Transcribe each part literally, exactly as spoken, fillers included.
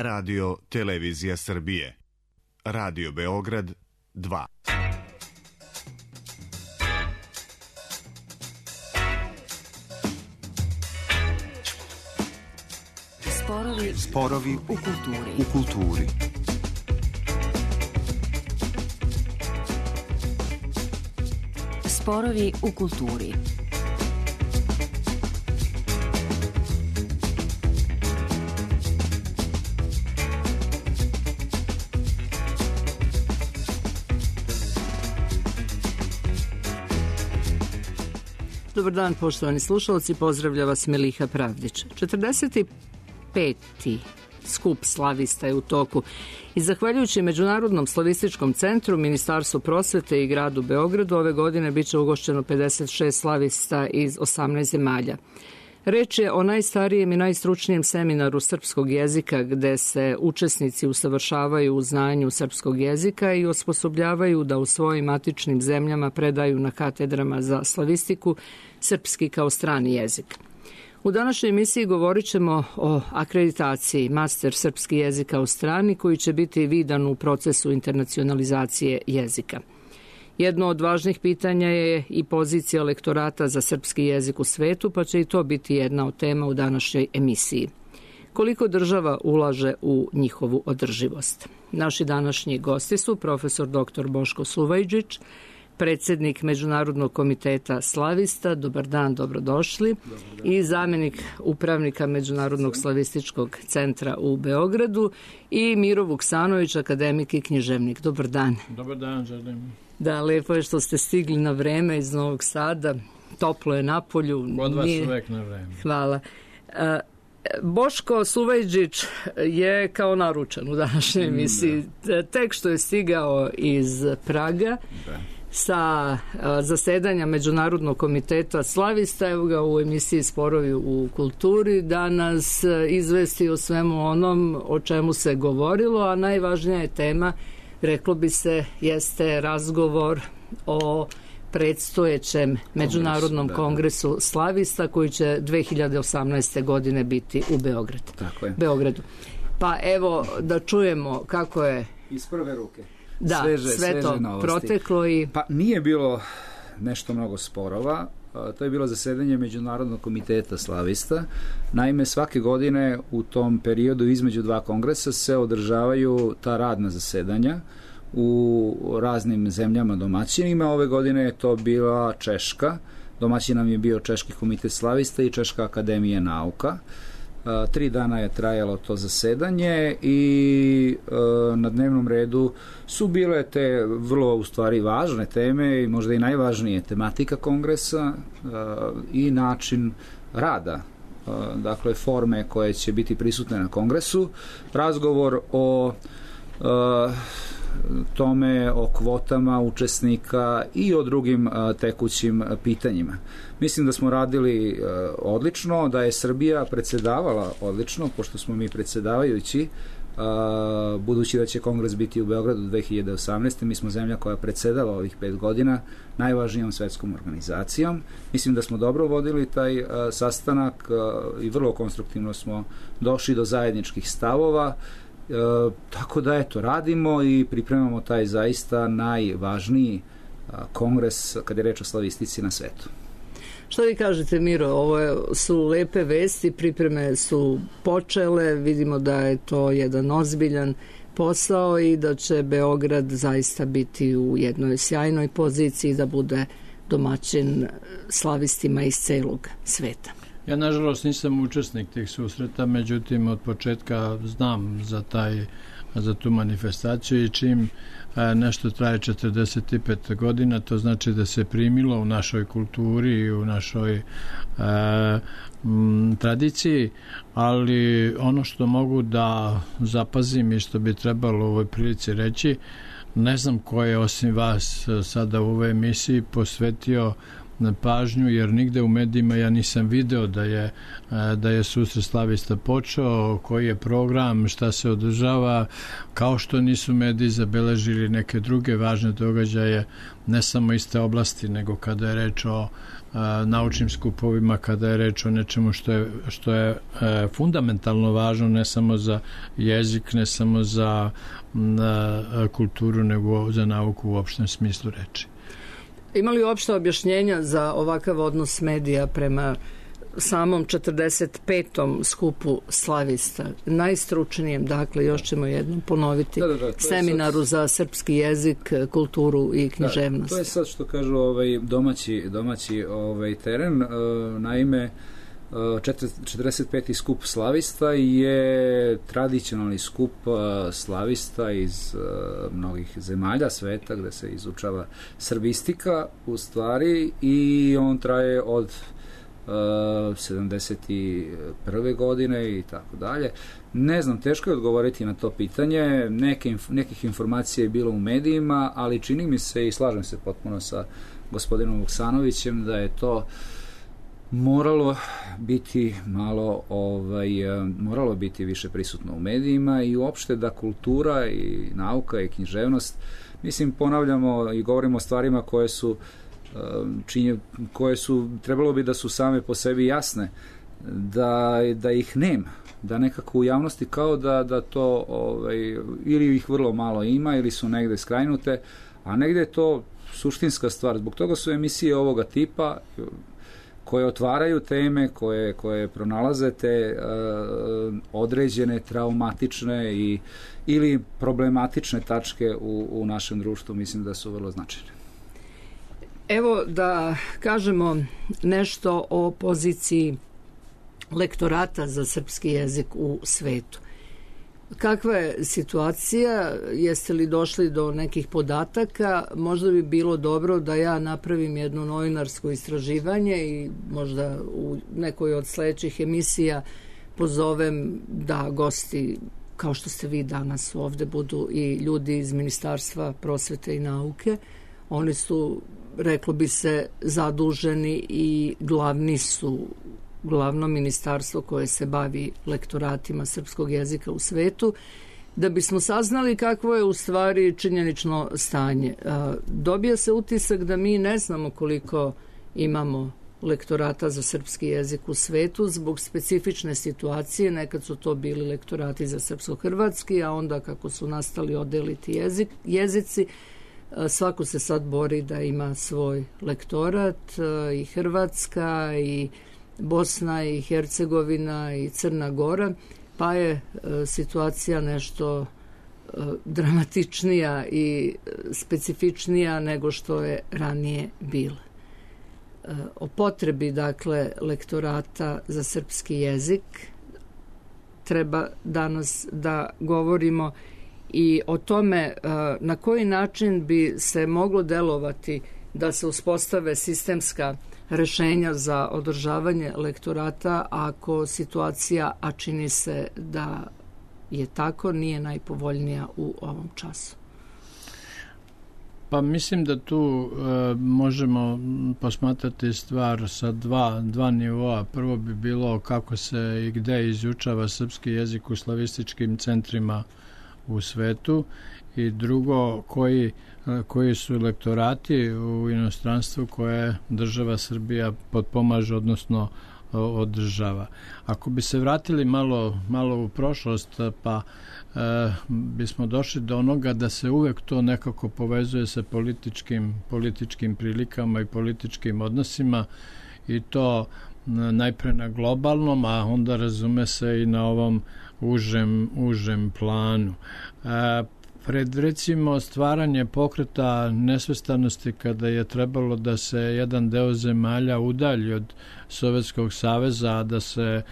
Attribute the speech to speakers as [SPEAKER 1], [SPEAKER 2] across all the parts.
[SPEAKER 1] Radio Televizija Srbije. Radio Beograd dva.
[SPEAKER 2] Sporovi,
[SPEAKER 3] Sporovi
[SPEAKER 2] u kulturi.
[SPEAKER 3] U kulturi.
[SPEAKER 2] Sporovi u kulturi.
[SPEAKER 4] Dobar dan, poštovani slušalci, pozdravlja vas Meliha Pravdić. četrdeset peti skup slavista je u toku i zahvaljujući Međunarodnom slavističkom centru, Ministarstvu prosvete i gradu Beogradu ove godine biće ugošćeno pedeset šest slavista iz osamnaest zemalja. Reč je o najstarijem i najstručnijem seminaru srpskog jezika gde se učesnici usavršavaju u znanju srpskog jezika i osposobljavaju da u svojim matičnim zemljama predaju na katedrama za slavistiku srpski kao strani jezik. U današnjoj emisiji govorit ćemo o akreditaciji master srpski jezika u strani koji će biti vidan u procesu internacionalizacije jezika. Jedno od važnih pitanja je i pozicija lektorata za srpski jezik u svetu, pa će i to biti jedna od tema u današnjoj emisiji. Koliko država ulaže u njihovu održivost? Naši današnji gosti su profesor doktor Boško Suvajdžić, predsjednik Međunarodnog komiteta slavista, dobar dan, dobrodošli, dobar dan. I zamjenik upravnika Međunarodnog slavističkog centra u Beogradu i Miro Vuksanović, akademik i književnik. Dobar dan.
[SPEAKER 5] Dobar dan, želim.
[SPEAKER 4] Da, lepo je što ste stigli na vreme iz Novog Sada, toplo je napolju.
[SPEAKER 5] Od vas Nije... uvek na vreme.
[SPEAKER 4] Hvala. E, Boško Suvajdžić je kao naručen u današnjoj emisiji. Da. Tek što je stigao iz Praga, da. Sa zasedanja Međunarodnog komiteta slavista, evo ga u emisiji Sporovi u kulturi, da nas izvesti o svemu onom o čemu se govorilo, a najvažnija je tema, reklo bi se, jeste razgovor o predstojećem Međunarodnom da, kongresu slavista koji će dve hiljade osamnaeste. godine biti u Beogradu.
[SPEAKER 5] Tako je.
[SPEAKER 4] Beogradu. Pa evo da čujemo kako je
[SPEAKER 5] iz prve ruke.
[SPEAKER 4] Da, sveže, sve sveže to novosti. Proteklo i...
[SPEAKER 5] Pa nije bilo nešto mnogo sporova, to je bilo zasedanje Međunarodnog komiteta slavista. Naime, svake godine u tom periodu između dva kongresa se održavaju ta radna zasedanja u raznim zemljama domaćinima. Ove godine je to bila Češka, domaćin nam je bio Češki komitet slavista i Češka akademija nauka. Tri dana je trajalo to zasedanje i e, na dnevnom redu su bile te vrlo u stvari važne teme i možda i najvažnije tematika kongresa e, i način rada, e, dakle forme koje će biti prisutne na kongresu, razgovor o e, tome, o kvotama učesnika i o drugim a, tekućim a, pitanjima. Mislim da smo radili a, odlično, da je Srbija predsedavala odlično, pošto smo mi predsedavajući, a, budući da će kongres biti u Beogradu dve hiljade osamnaeste. Mi smo zemlja koja predsedava ovih pet godina najvažnijom svetskom organizacijom. Mislim da smo dobro vodili taj a, sastanak a, i vrlo konstruktivno smo došli do zajedničkih stavova. E, tako da eto, radimo i pripremamo taj zaista najvažniji a, kongres kad je reč o slavistici na svetu.
[SPEAKER 4] Što vi kažete, Miro, ovo je, su lepe vesti, pripreme su počele, vidimo da je to jedan ozbiljan posao i da će Beograd zaista biti u jednoj sjajnoj poziciji da bude domaćin slavistima iz celog sveta.
[SPEAKER 5] Ja, nažalost, nisam učesnik tih susreta, međutim, od početka znam za taj, za tu manifestaciju i čim e, nešto traje četrdeset pet godina, to znači da se primilo u našoj kulturi i u našoj e, m, tradiciji, ali ono što mogu da zapazim i što bi trebalo u ovoj prilici reći, ne znam ko je osim vas sada u ovoj emisiji posvetio
[SPEAKER 3] pažnju, jer nigde u medijima ja nisam video da je, da je susret slavista počeo, koji je program, šta se održava, kao što nisu mediji zabeležili neke druge važne događaje, ne samo iste oblasti, nego kada je reč o a, naučnim skupovima, kada je reč o nečemu što je, što je a, fundamentalno važno, ne samo za jezik, ne samo za a, kulturu, nego za nauku u opštem smislu reči.
[SPEAKER 4] Ima li uopšte objašnjenja za ovakav odnos medija prema samom četrdeset petom skupu slavista, najstručnijem, dakle, još ćemo jednom ponoviti, da, da, da, seminaru sad za srpski jezik, kulturu i književnost?
[SPEAKER 5] Da, to je sad što kažu ovaj, domaći, domaći ovaj, teren. Naime, četrdeset peti skup slavista je tradicionalni skup slavista iz mnogih zemalja sveta gde se izučava srbistika u stvari, i on traje od sedamdeset prve godine i tako dalje. Ne znam, teško je odgovoriti na to pitanje. Neke, nekih informacija je bilo u medijima, ali čini mi se, i slažem se potpuno sa gospodinom Vuksanovićem, da je to moralo biti malo ovaj, moralo biti više prisutno u medijima, i uopšte da kultura i nauka i književnost, mislim, ponavljamo i govorimo o stvarima koje su činje, koje su, trebalo bi da su same po sebi jasne, da, da ih nema, da nekako u javnosti kao da, da to ovaj, ili ih vrlo malo ima, ili su negde skrajnute, a negde je to suštinska stvar. Zbog toga su emisije ovoga tipa koje otvaraju teme, koje, koje pronalaze te uh, određene traumatične i, ili problematične tačke u, u našem društvu, mislim da su vrlo značajne.
[SPEAKER 4] Evo da kažemo nešto o poziciji lektorata za srpski jezik u svetu. Kakva je situacija? Jeste li došli do nekih podataka? Možda bi bilo dobro da ja napravim jedno novinarsko istraživanje i možda u nekoj od sledećih emisija pozovem da gosti, kao što ste vi danas ovde, budu i ljudi iz Ministarstva prosvete i nauke. Oni su, reklo bi se, zaduženi i glavni su glavno ministarstvo koje se bavi lektoratima srpskog jezika u svetu, da bismo saznali kakvo je u stvari činjenično stanje. Dobija se utisak da mi ne znamo koliko imamo lektorata za srpski jezik u svetu zbog specifične situacije. Nekad su to bili lektorati za srpsko-hrvatski, a onda kako su nastali odeliti jezik, jezici, svako se sad bori da ima svoj lektorat, i Hrvatska, i Bosna i Hercegovina, i Crna Gora, pa je e, situacija nešto e, dramatičnija i specifičnija nego što je ranije bila. E, o potrebi, dakle, lektorata za srpski jezik treba danas da govorimo, i o tome e, na koji način bi se moglo delovati da se uspostave sistemska rešenja za održavanje lektorata ako situacija, a čini se da je tako, nije najpovoljnija u ovom času.
[SPEAKER 3] Pa mislim da tu e, možemo posmatrati stvar sa dva, dva nivoa. Prvo bi bilo kako se i gde izučava srpski jezik u slavističkim centrima u svetu, i drugo koji koji su lektorati u inostranstvu koje država Srbija potpomaže, odnosno održava. Ako bi se vratili malo, malo u prošlost, pa e, bismo došli do onoga da se uvek to nekako povezuje sa političkim, političkim prilikama i političkim odnosima, i to najpre na globalnom, a onda razume se i na ovom užem, užem planu. E, Pred, recimo, stvaranje pokreta nesvrstanosti, kada je trebalo da se jedan deo zemalja udalji od Sovjetskog saveza, da se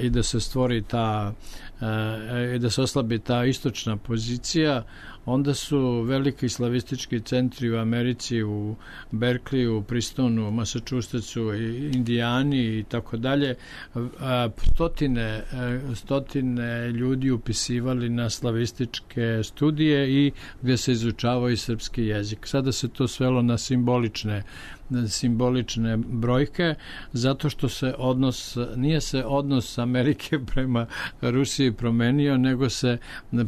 [SPEAKER 3] i da se stvori ta e, i da se oslabi ta istočna pozicija, onda su veliki slavistički centri u Americi, u Berkeliju, u Pristonu, Massachusettsu, Indijani i tako dalje, stotine, stotine ljudi upisivali na slavističke studije i gde se izučavao i srpski jezik. Sada se to svelo na simbolične simbolične brojke, zato što se odnos, nije se odnos Amerike prema Rusiji promenio, nego se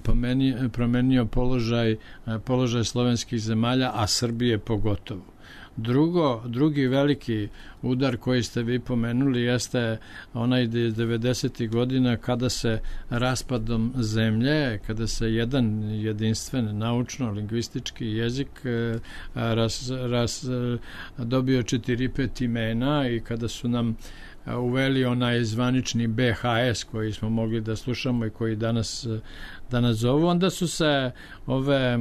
[SPEAKER 3] promenio, promenio položaj, položaj slovenskih zemalja, a Srbije pogotovo. Drugo, drugi veliki udar koji ste vi pomenuli jeste onaj devedesetih godina kada se raspadom zemlje, kada se jedan jedinstven naučno-lingvistički jezik raz, raz, dobio četiri pet imena i kada su nam uveli onaj zvanični be ha es koji smo mogli da slušamo i koji danas danas zovu, onda su se ove e,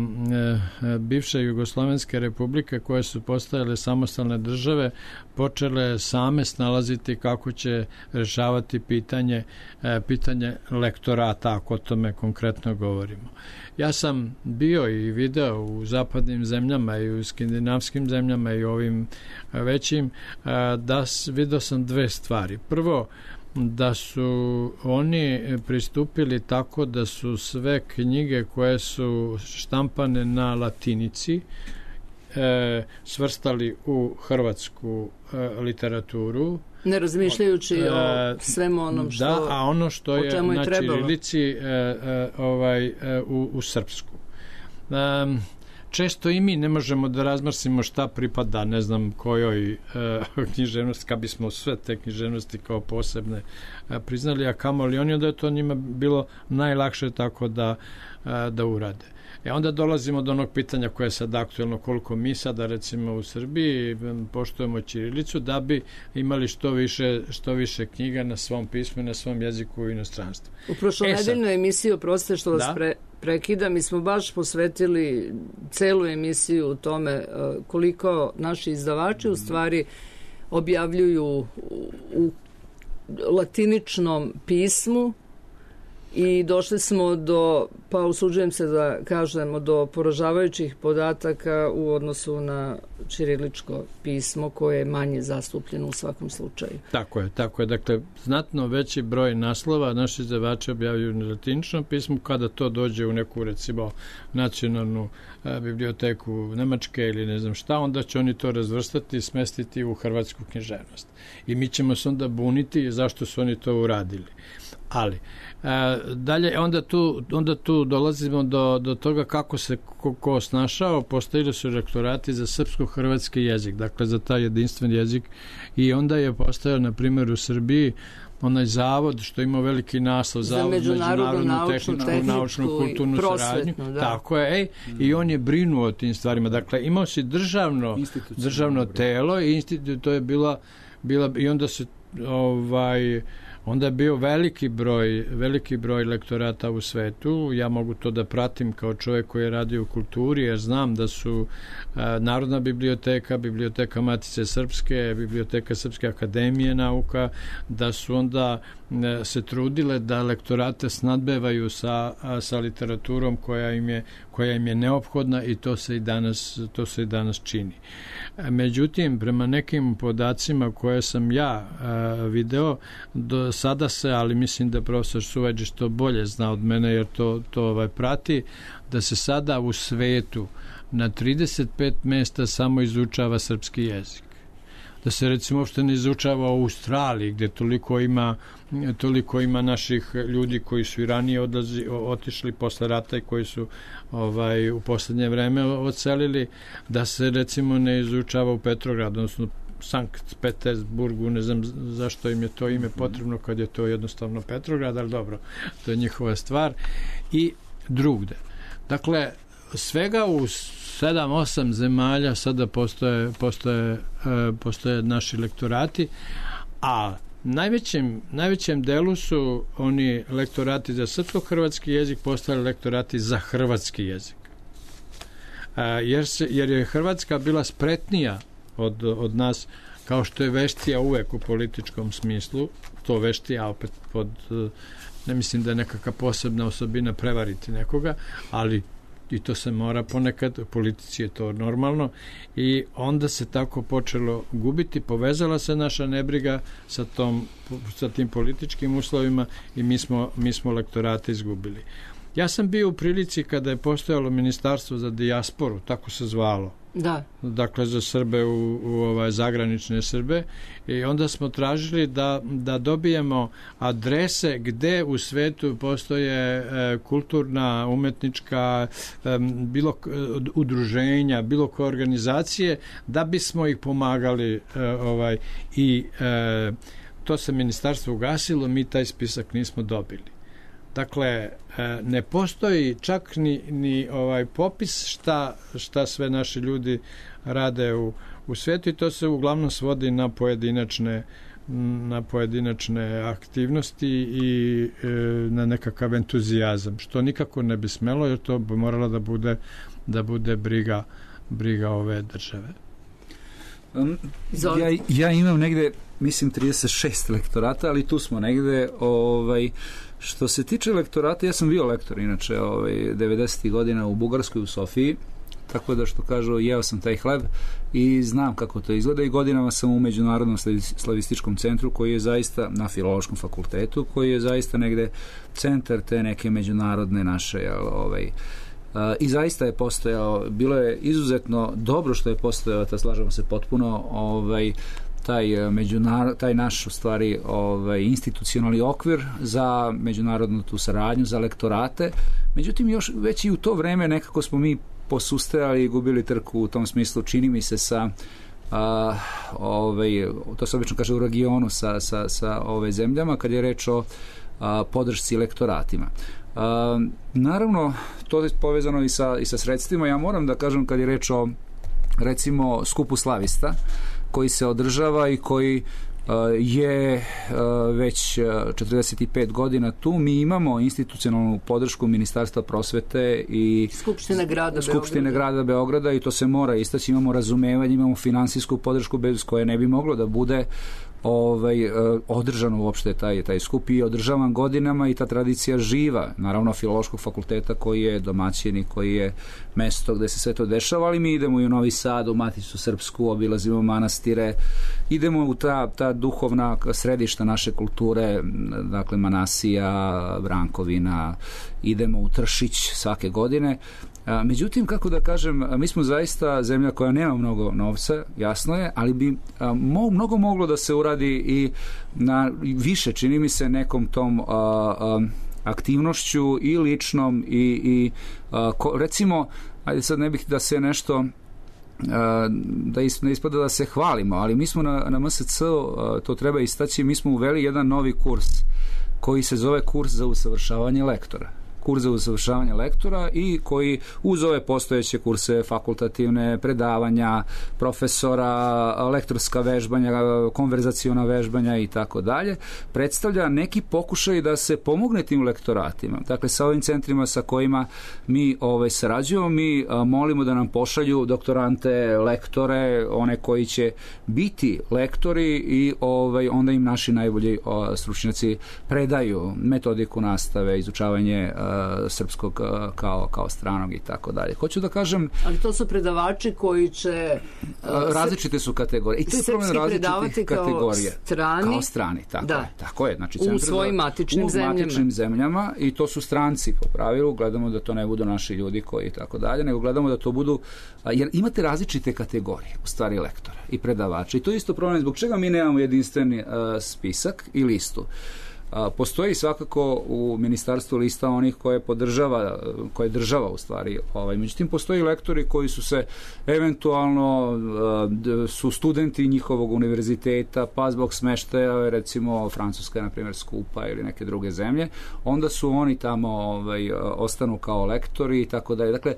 [SPEAKER 3] bivše jugoslovenske republike koje su postajale samostalne države počele same snalaziti kako će rešavati pitanje, e, pitanje lektorata, ako o tome konkretno govorimo. Ja sam bio i video u zapadnim zemljama i u skandinavskim zemljama i ovim većim, e, da video sam dve stvari. Prvo, da su oni pristupili tako da su sve knjige koje su štampane na latinici e, svrstali u hrvatsku e, literaturu.
[SPEAKER 4] Ne razmišljajući e, o svemu onom što,
[SPEAKER 3] da, a ono što je, je na
[SPEAKER 4] trebalo.
[SPEAKER 3] ćirilici e, e, ovaj, e, u, u srpsku. E, Često i mi ne možemo da razmrsimo šta pripada, ne znam kojoj e, književnosti, kad bismo sve te književnosti kao posebne e, priznali, a kamoli oni, onda je to njima bilo najlakše tako da, e, da urade. E onda dolazimo do onog pitanja koje je sad aktuelno, koliko mi sada recimo u Srbiji poštujemo ćirilicu da bi imali što više, što više knjiga na svom pismu i na svom jeziku u inostranstvu.
[SPEAKER 4] U prošlonedeljnoj emisiji, oprostite što vas
[SPEAKER 3] da?
[SPEAKER 4] pre, prekidam, mi smo baš posvetili celu emisiju u tome koliko naši izdavači u stvari objavljuju u, u latiničnom pismu i došli smo do, pa usuđujem se da kažemo, do poražavajućih podataka u odnosu na ćiriličko pismo koje je manje zastupljeno u svakom slučaju.
[SPEAKER 3] Tako je, tako je. Dakle, znatno veći broj naslova naši izdavači objavljuju na latiničnom pismu. Kada to dođe u neku, recimo, nacionalnu a, biblioteku Nemačke ili ne znam šta, onda će oni to razvrstati i smestiti u hrvatsku književnost. I mi ćemo se onda buniti zašto su oni to uradili. Ali, e, dalje, onda tu, onda tu dolazimo do, do toga kako se ko, ko snašao, postojili su rektorati za srpsko-hrvatski jezik, dakle za taj jedinstven jezik, i onda je postojao, na primjer, u Srbiji onaj zavod što ima veliki naslov,
[SPEAKER 4] za
[SPEAKER 3] zavod
[SPEAKER 4] međunarodnu
[SPEAKER 3] naučnu, tehničku, naučnu, kulturnu saradnju. Da. Tako je, ej, mm. i on je brinuo o tim stvarima. Dakle, imao si državno, državno telo i institut, to je bila, bila i onda se ovaj onda je bio veliki broj, veliki broj lektorata u svetu. Ja mogu to da pratim kao čovjek koji je radio u kulturi, jer znam da su a, Narodna biblioteka, Biblioteka Matice Srpske, Biblioteka Srpske akademije nauka, da su onda a, se trudile da lektorate snadbevaju sa, a, sa literaturom koja im je, koja im je neophodna, i to se i danas, to se i danas čini. A, međutim, prema nekim podacima koje sam ja a, video, do sada se, ali mislim da profesor Suvađić to bolje zna od mene jer to, to ovaj, prati, da se sada u svetu na trideset pet mesta samo izučava srpski jezik. Da se recimo uopšte ne izučava u Australiji gdje toliko ima, toliko ima naših ljudi koji su i ranije odlazi, otišli posle rata i koji su ovaj, u poslednje vreme odselili, da se recimo ne izučava u Petrogradu, odnosno Sankt Petersburgu, ne znam zašto im je to ime potrebno kad je to jednostavno Petrograd, ali dobro, to je njihova stvar, i drugde. Dakle, svega u sedam osam zemalja sada postoje, postoje, postoje naši lektorati, a najvećem, najvećem delu su oni lektorati za srpsko-hrvatski jezik postali lektorati za hrvatski jezik. Jer, se, jer je Hrvatska bila spretnija Od, od nas, kao što je veštija uvek u političkom smislu, to veštija opet pod, ne mislim da je nekakva posebna osobina prevariti nekoga, ali i to se mora ponekad, u politici je to normalno, i onda se tako počelo gubiti, povezala se naša nebriga sa, tom, sa tim političkim uslovima i mi smo, mi smo lektorate izgubili. Ja sam bio u prilici kada je postojalo Ministarstvo za dijasporu, tako se zvalo,
[SPEAKER 4] Da.
[SPEAKER 3] Dakle, za Srbe u, u ovaj, zagranične Srbe. I onda smo tražili da, da dobijemo adrese gde u svetu postoje e, kulturna, umetnička, e, bilo udruženja, bilo koje organizacije, da bismo ih pomagali e, ovaj, i e, to se ministarstvo ugasilo, mi taj spisak nismo dobili. Dakle, ne postoji čak ni, ni ovaj popis šta, šta sve naši ljudi rade u, u svijetu i to se uglavnom svodi na pojedinačne na pojedinačne aktivnosti i e, na nekakav entuzijazam, što nikako ne bi smelo, jer to bi moralo da bude da bude briga briga ove države.
[SPEAKER 5] Um, ja, ja imam negde, mislim, trideset šest lektorata, ali tu smo negde, ovaj, što se tiče lektorata, ja sam bio lektor, inače, ovaj, devedesetih godina u Bugarskoj, u Sofiji, tako da, što kažu, jeo sam taj hleb i znam kako to izgleda i godinama sam u Međunarodnom slavističkom centru, koji je zaista na Filološkom fakultetu, koji je zaista negde centar te neke međunarodne naše, ovaj, Uh, i zaista je postojao, bilo je izuzetno dobro što je postojao, ta slažemo se potpuno, ovaj, taj, međunar, taj naš u stvari ovaj, institucionalni okvir za međunarodnu tu saradnju, za lektorate. Međutim, još već i u to vreme nekako smo mi posustajali i gubili trku u tom smislu, čini mi se, sa a, ovaj, to se obično kaže u regionu sa, sa, sa ove zemljama, kad je reč o a, podršci lektoratima. Uh, naravno, to je povezano i sa, i sa sredstvima. Ja moram da kažem, kad je reč o, recimo, skupu slavista koji se održava i koji uh, je uh, već četrdeset pet godina tu, mi imamo institucionalnu podršku Ministarstva prosvete i
[SPEAKER 4] Skupštine grada
[SPEAKER 5] Skupštine
[SPEAKER 4] Beograda.
[SPEAKER 5] grada Beograda i to se mora istaći. Imamo razumevanje, imamo finansijsku podršku bez koje ne bi moglo da bude ovaj, održano uopšte taj, taj skup i održavan godinama i ta tradicija živa, naravno Filološkog fakulteta koji je domaćin i koji je mesto gde se sve to dešava, ali mi idemo i u Novi Sad, u Maticu Srpsku, obilazimo manastire, idemo u ta, ta duhovna središta naše kulture, dakle Manasija, Brankovina, idemo u Tršić svake godine. Međutim, kako da kažem, mi smo zaista zemlja koja nema mnogo novca, jasno je, ali bi mo, mnogo moglo da se uradi i na više, čini mi se, nekom tom a, a, aktivnošću i ličnom i, i a, ko, recimo, ajde sad ne bih da se nešto a, da is, ne ispada da se hvalimo, ali mi smo na, na M S C, a, to treba istaći, mi smo uveli jedan novi kurs koji se zove kurs za usavršavanje lektora. Kurs za usavršavanje lektora i koji uz ove postojeće kurse, fakultativne predavanja, profesora, lektorska vežbanja, konverzaciona vežbanja i tako dalje, predstavlja neki pokušaj da se pomogne tim lektoratima. Dakle, sa ovim centrima sa kojima mi ovaj, sarađujemo, mi a, molimo da nam pošalju doktorante, lektore, one koji će biti lektori i ovaj, onda im naši najbolji o, stručnjaci predaju metodiku nastave, izučavanje a, srpskog kao, kao stranog i tako dalje. Hoću da kažem... Ali
[SPEAKER 4] to su predavači koji će...
[SPEAKER 5] Uh, različite su kategorije. I to je problem različitih kategorija.
[SPEAKER 4] Strani,
[SPEAKER 5] kao strani, tako
[SPEAKER 4] da.
[SPEAKER 5] je. Tako je. Znači,
[SPEAKER 4] u svojim matičnim
[SPEAKER 5] u
[SPEAKER 4] zemljama.
[SPEAKER 5] U matičnim zemljama i to su stranci po pravilu. Gledamo da to ne budu naši ljudi koji i tako dalje, nego gledamo da to budu... Jer imate različite kategorije u stvari lektora i predavača. I to je isto problem zbog čega mi nemamo jedinstveni uh, spisak i listu. A, postoji svakako u ministarstvu lista onih koje podržava, koje država u stvari, ovaj, međutim postoji lektori koji su se eventualno a, su studenti njihovog univerziteta, pa zbog smeštaja, recimo Francuska je na primjer skupa ili neke druge zemlje, onda su oni tamo ovaj, ostanu kao lektori i tako dalje. Dakle,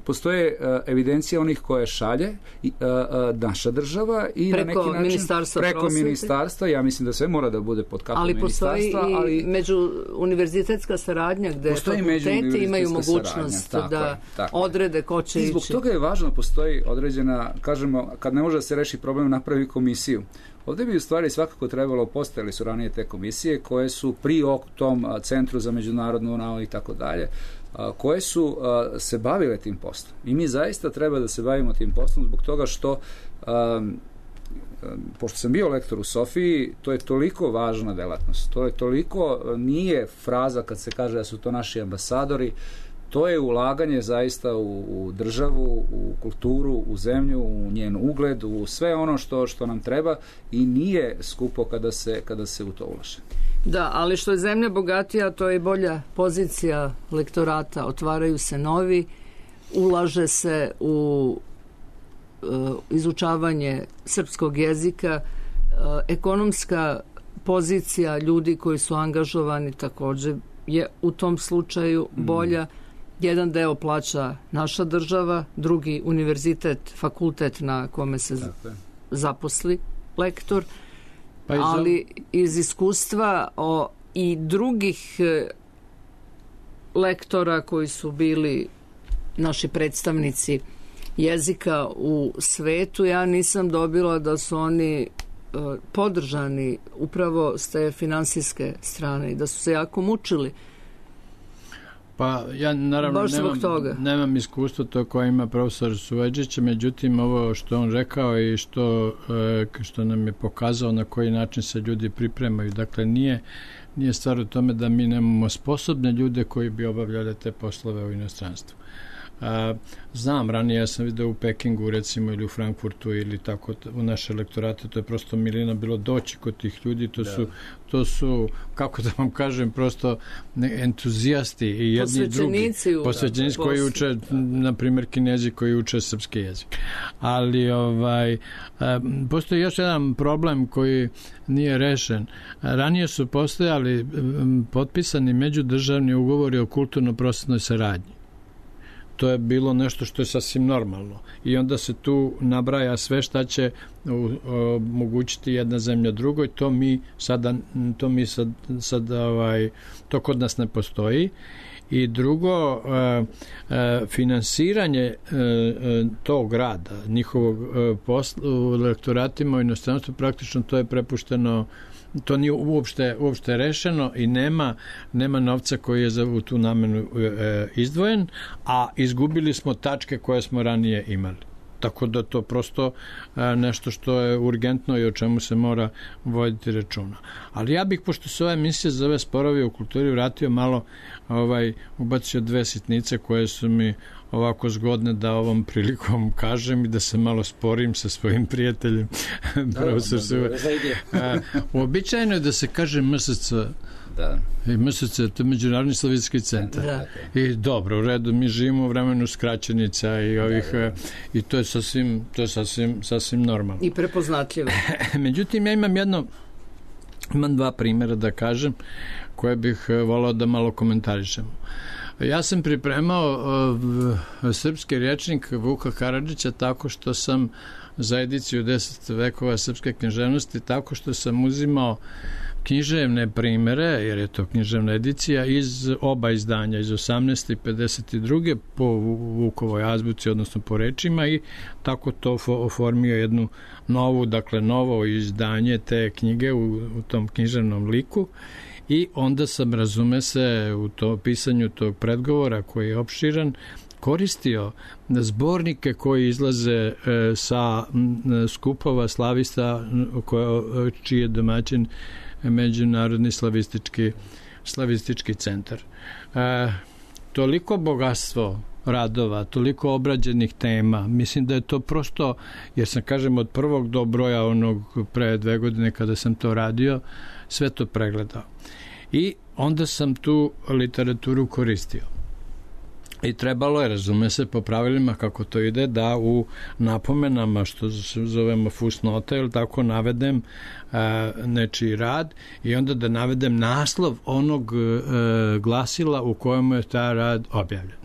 [SPEAKER 5] postoje uh, evidencija onih koje šalje i, uh, uh, naša država i
[SPEAKER 4] preko
[SPEAKER 5] na neki način
[SPEAKER 4] ministarstva
[SPEAKER 5] preko
[SPEAKER 4] prosvete.
[SPEAKER 5] ministarstva, ja mislim da sve mora da bude pod kapom ministarstva.
[SPEAKER 4] Ali postoji i među univerzitetska saradnja gde fakulteti imaju mogućnost
[SPEAKER 5] saradnja,
[SPEAKER 4] da
[SPEAKER 5] je,
[SPEAKER 4] odrede ko će ići.
[SPEAKER 5] I zbog toga je važno, postoji određena, kažemo, kad ne može da se reši problem, napravi komisiju. Ovdje bi u stvari svakako trebalo, postojali su ranije te komisije koje su pri tom centru za međunarodnu nauku i tako dalje, koje su se bavile tim poslom. I mi zaista treba da se bavimo tim poslom zbog toga što um, pošto sam bio lektor u Sofiji, to je toliko važna delatnost. To je toliko, nije fraza kad se kaže da su to naši ambasadori, To je ulaganje zaista u, u državu, u kulturu, u zemlju, u njen ugled, u sve ono što, što nam treba i nije skupo kada se, kada se u to ulaže.
[SPEAKER 4] Da, ali što je zemlja bogatija, to je i bolja pozicija lektorata. Otvaraju se novi, ulaže se u uh, izučavanje srpskog jezika, uh, ekonomska pozicija ljudi koji su angažovani također je u tom slučaju bolja. Mm. Jedan deo plaća naša država, drugi univerzitet, fakultet na kome se Tako. zaposli lektor. Pa iz ali iz iskustva o, i drugih e, lektora koji su bili naši predstavnici jezika u svetu, ja nisam dobila da su oni e, podržani upravo s te finansijske strane i da su se jako mučili.
[SPEAKER 3] Pa ja naravno nemam, nemam iskustvo to koje ima profesor Suvađić, međutim ovo što on rekao i što, što nam je pokazao na koji način se ljudi pripremaju. Dakle, nije, nije stvar u tome da mi nemamo sposobne ljude koji bi obavljali te poslove u inostranstvu. A, znam, ranije ja sam vidio u Pekingu recimo ili u Frankfurtu ili tako u naše lektorate, to je prosto milina bilo doći kod tih ljudi, to, da. su, to su, kako da vam kažem, prosto entuzijasti i jedni i drugi. Posvećenici koji uče, na primjer Kinezi koji uče srpski jezik. Ali ovaj, a, postoji još jedan problem koji nije rešen. Ranije su postojali m, potpisani međudržavni ugovori o kulturno-prosvetnoj saradnji. To je bilo nešto što je sasvim normalno. I onda se tu nabraja sve šta će omogućiti jedna zemlja drugoj. To mi sada, to mi sad, sad ovaj, to kod nas ne postoji. I drugo, finansiranje tog rada, njihovog posla u lektoratima u inostranstvu, praktično to je prepušteno, to nije uopšte, uopšte rešeno i nema, nema novca koji je za u tu namenu e, izdvojen, a izgubili smo tačke koje smo ranije imali. Tako da to prosto e, nešto što je urgentno i o čemu se mora voditi računa. Ali ja bih, pošto se ova emisija zove Sporovi u kulturi, vratio malo, ovaj, ubacio dve sitnice koje su mi ovako zgodne da ovom prilikom kažem i da se malo sporim sa svojim prijateljem. Profesor Suva. Uobičajeno je da se kaže M S C. Da. I M S C, to je Međunarodni slavistički centar. Da. I dobro, u redu, mi živimo u vremenu skraćenica i ovih, da, da. I to je sasvim, to je sasvim, sasvim normalno.
[SPEAKER 4] I prepoznatljivo. Međutim,
[SPEAKER 3] ja imam jedno, imam dva primjera da kažem, koje bih volao da malo komentarišemo. Ja sam pripremao uh, srpski rječnik Vuka Karadžića tako što sam za ediciju deset vekova srpske književnosti, tako što sam uzimao književne primere, jer je to književna edicija, iz oba izdanja, iz osamnaeste i pedeset druge po Vukovoj azbuci, odnosno po rečima, i tako to oformio jednu novu, dakle novo izdanje te knjige u, u tom književnom liku. I onda sam, razume se, u to pisanju tog predgovora koji je opširan, koristio zbornike koji izlaze e, sa m, skupova slavista koje, čiji je domaćin Međunarodni slavistički, slavistički centar. E, toliko bogatstvo radova, toliko obrađenih tema, mislim da je to prosto, jer sam, kažem, od prvog do broja onog pre dve godine kada sam to radio, sve to pregledao. I onda sam tu literaturu koristio. I trebalo je, razume se, po pravilima kako to ide, da u napomenama, što zovemo fusnote, ili tako, navedem a, nečiji rad i onda da navedem naslov onog a, glasila u kojemu je taj rad objavljen.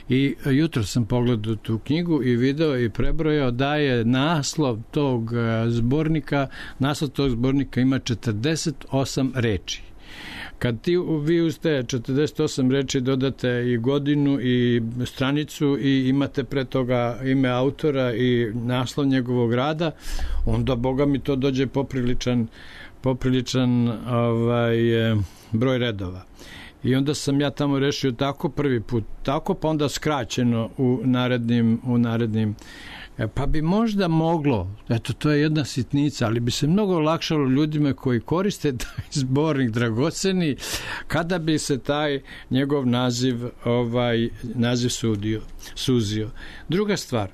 [SPEAKER 3] I jutro sam pogledao tu knjigu i video i prebrojao da je naslov tog zbornika, naslov tog zbornika ima četrdeset osam reči. Kad ti, vi uz te četrdeset osam reči dodate i godinu i stranicu i imate pre toga ime autora i naslov njegovog rada, onda, Boga mi, to dođe popriličan, popriličan ovaj, broj redova. I onda sam ja tamo rešio tako prvi put, tako, pa onda skraćeno u narednim, u narednim Pa bi možda moglo, eto to je jedna sitnica, ali bi se mnogo olakšalo ljudima koji koriste taj zbornik dragoceni kada bi se taj njegov naziv ovaj naziv sudio, suzio. Druga stvar,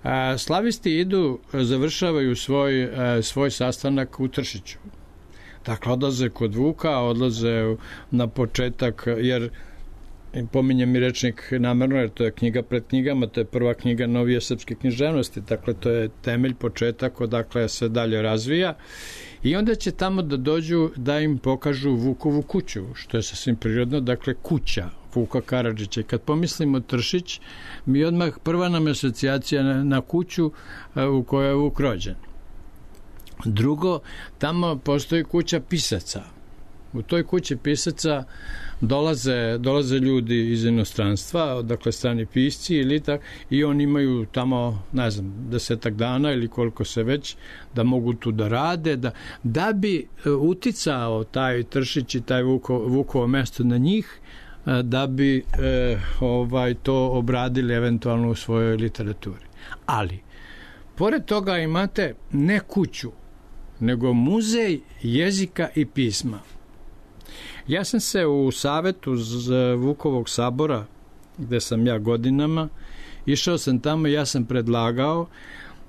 [SPEAKER 3] a, slavisti idu, završavaju svoj, a, svoj sastanak u Tršiću. Dakle, odlaze kod Vuka, odlaze na početak, jer pominjem mi rečnik namerno, jer to je knjiga pred knjigama, to je prva knjiga novije srpske književnosti, dakle to je temelj, početak, odakle se dalje razvija, i onda će tamo da dođu da im pokažu Vukovu kuću, što je sasvim prirodno, dakle kuća Vuka Karadžića. I kad pomislimo Tršić, mi odmah prva nam je asocijacija na, na kuću u kojoj je Vuk rođen. Drugo, tamo postoji kuća pisaca. U toj kući pisaca dolaze, dolaze ljudi iz inostranstva, dakle strani pisci ili tak, i oni imaju tamo, ne znam, desetak dana ili koliko se već, da mogu tu da rade, da, da bi uticao taj Tršić i taj Vuko, Vukovo mesto na njih, da bi e, ovaj to obradili eventualno u svojoj literaturi. Ali, pored toga imate ne kuću, nego muzej jezika i pisma. Ja sam se u savetu Vukovog sabora, gde sam ja godinama, išao sam tamo i ja sam predlagao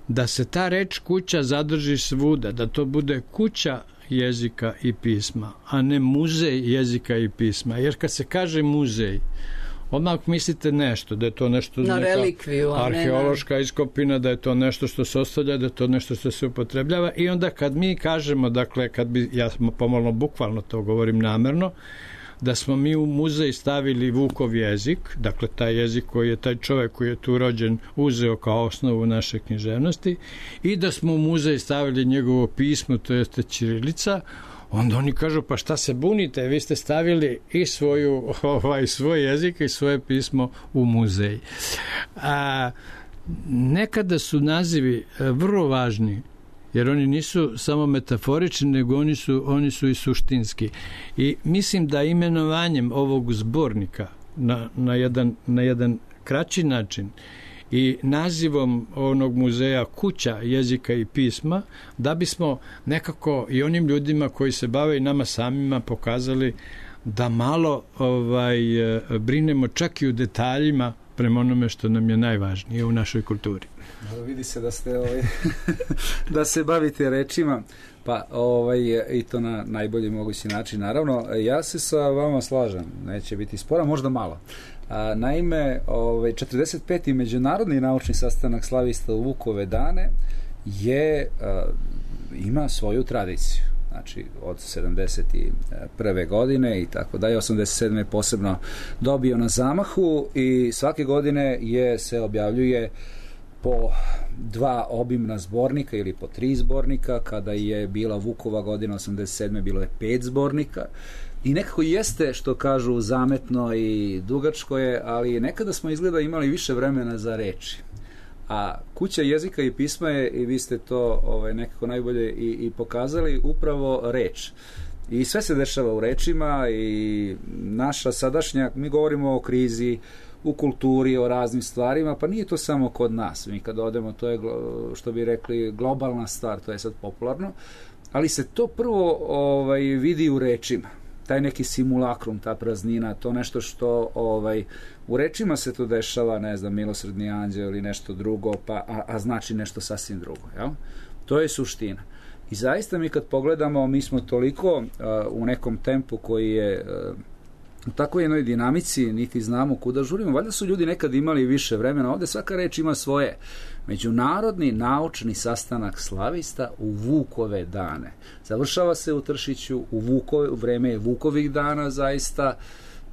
[SPEAKER 3] da se ta reč kuća zadrži svuda, da to bude kuća jezika i pisma, a ne muzej jezika i pisma. Jer kad se kaže muzej, odmah mislite nešto, da je to nešto
[SPEAKER 4] na
[SPEAKER 3] neka
[SPEAKER 4] relikviju,
[SPEAKER 3] arheološka iskopina, da je to nešto što se ostavlja, da je to nešto što se upotrebljava, i onda kad mi kažemo, dakle, kad bi, ja pomalo bukvalno to govorim namerno, da smo mi u muzej stavili Vukov jezik, dakle taj jezik koji je taj čovjek koji je tu rođen uzeo kao osnovu naše književnosti, i da smo u muzej stavili njegovo pismo, to jeste ćirilica, onda oni kažu, pa šta se bunite, vi ste stavili i svoju, ovaj, svoj jezik i svoje pismo u muzej. A, nekada su nazivi vrlo važni, jer oni nisu samo metaforični, nego oni su, oni su i suštinski. I mislim da imenovanjem ovog zbornika na, na, jedan, na jedan kraći način i nazivom onog muzeja kuća jezika i pisma, da bismo nekako i onim ljudima koji se bave i nama samima pokazali da malo ovaj, brinemo čak i u detaljima prema onome što nam je najvažnije u našoj kulturi.
[SPEAKER 5] Vidi se da ste ovaj, da se bavite rečima, pa ovaj, i to na najbolji mogući način. Naravno, ja se sa vama slažem, neće biti spora, možda malo. A, naime, ovaj, četrdeset peti međunarodni naučni sastanak slavista u Vukove dane je, a, ima svoju tradiciju. Znači, od sedamdeset prve godine i tako dalje, osamdeset sedme posebno dobio na zamahu, i svake godine je se objavljuje po dva obimna zbornika ili po tri zbornika. Kada je bila Vukova godina osamdeset sedme bilo je pet zbornika. I nekako jeste, što kažu, zametno i dugačko je, ali nekada smo izgleda imali više vremena za reči. A kuća jezika i pisma je, i vi ste to ovaj, nekako najbolje i, i pokazali, upravo reč. I sve se dešava u rečima, i naša sadašnja, mi govorimo o krizi, u kulturi, o raznim stvarima, pa nije to samo kod nas. Mi kad odemo, to je, što bi rekli, globalna stvar, to je sad popularno, ali se to prvo ovaj, vidi u rečima. Taj neki simulakrum, ta praznina, to nešto što ovaj, u rečima se to dešava, ne znam, milosrdni anđeo ili nešto drugo, pa, a, a znači nešto sasvim drugo. Jel? To je suština. I zaista mi kad pogledamo, mi smo toliko uh, u nekom tempu koji je uh, u takvoj jednoj dinamici, niti znamo kuda žurimo. Valjda su ljudi nekad imali više vremena. Ovde svaka reč ima svoje. Međunarodni naučni sastanak slavista u Vukove dane. Završava se u Tršiću, u, Vukove, u vreme je Vukovih dana zaista.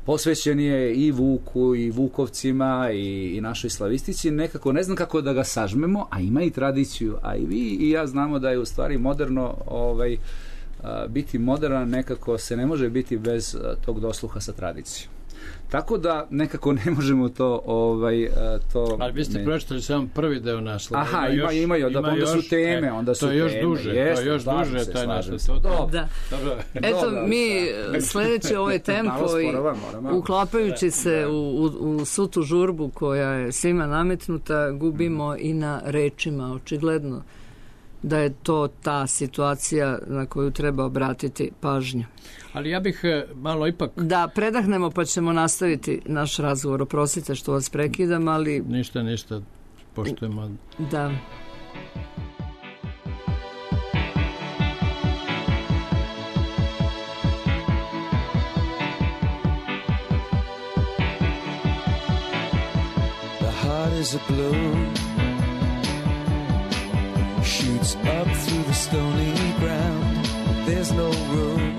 [SPEAKER 5] Posvećen je i Vuku, i Vukovcima, i, i našoj slavistici. Nekako ne znam kako da ga sažmemo, a ima i tradiciju. A i vi i ja znamo da je u stvari moderno ovaj, biti moderan, nekako se ne može biti bez tog dosluha sa tradicijom. Tako da nekako ne možemo to ovaj to.
[SPEAKER 3] Ali vi ste pročitali samo prvi deo naslova.
[SPEAKER 5] Aha, ima imaju, da onda su teme, onda su
[SPEAKER 3] to je još
[SPEAKER 5] teme.
[SPEAKER 3] duže,
[SPEAKER 5] Jest,
[SPEAKER 3] to je još duže taj naslov.
[SPEAKER 4] Da. Eto, mi sledeće ovaj tempo i uklapajući se u, u, u svu tu žurbu koja je svima nametnuta, gubimo i na rečima, očigledno da je to ta situacija na koju treba obratiti pažnju.
[SPEAKER 3] Ali ja bih malo ipak...
[SPEAKER 4] Da, predahnemo pa ćemo nastaviti naš razgovor. Oprostite što vas prekidam, ali...
[SPEAKER 3] Ništa, ništa, poštujemo.
[SPEAKER 4] Da.
[SPEAKER 6] The heart is a balloon, shoots up through the stony ground. There's no room,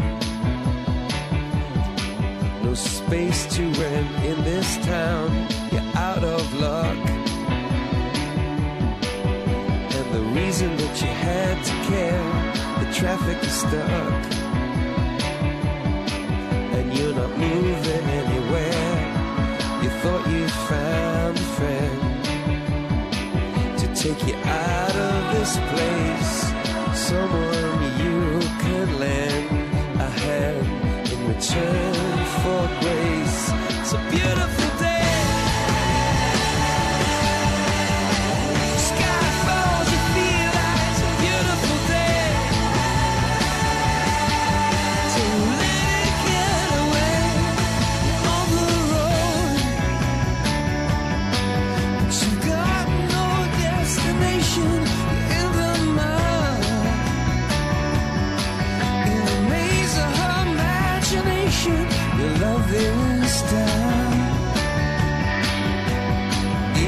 [SPEAKER 6] no space to rent in this town. You're out of luck, and the reason that you had to care, the traffic is stuck, and you're not moving anywhere. You thought you found a friend to take you out of this place, someone you could lend a hand in return for grace. It's a beautiful day. Sky falls, you feel like it's a beautiful day. So let it get away on the road. But you've got no destination in the mud. In the maze of her imagination, your love is down.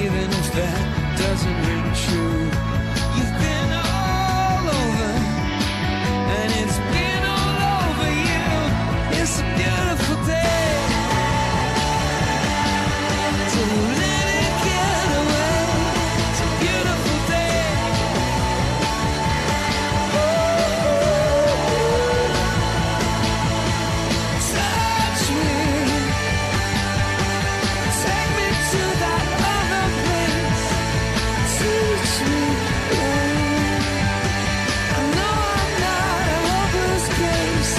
[SPEAKER 6] Even if that doesn't ring true, you've been all over, and it's been all over you. It's a beautiful day. So let it get away. It's a beautiful day. Touch me, take me to that other place. Teach me. I know I'm not a hopeless case.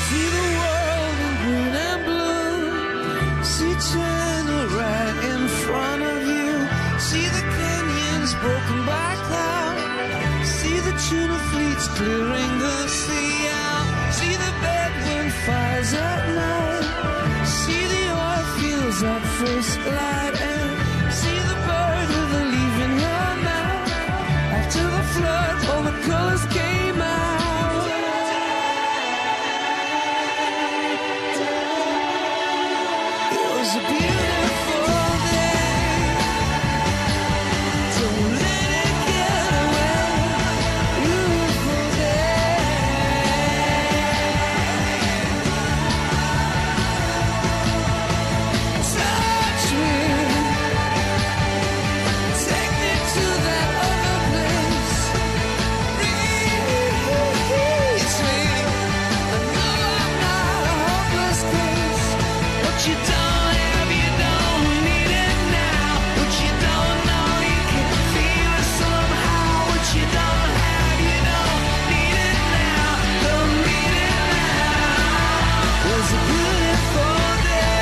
[SPEAKER 6] See the world in green and blue. See China right in front of you. See the canyons broken by cloud. See the tuna fleets clearing the sea out. See the bedouin fires at night. See the oil fields at first light. And see the bird with a leaf in her mouth. After the flood, all the colors came out. It was a beautiful day. So let it get away. Beautiful day. Touch me. Take me to that other place. Reach me. I know I'm not a hopeless case. What you don't have, you don't need it now. What you don't know, you can feel it somehow. What you don't have, you don't need it now. Don't need it now. It was a beautiful day.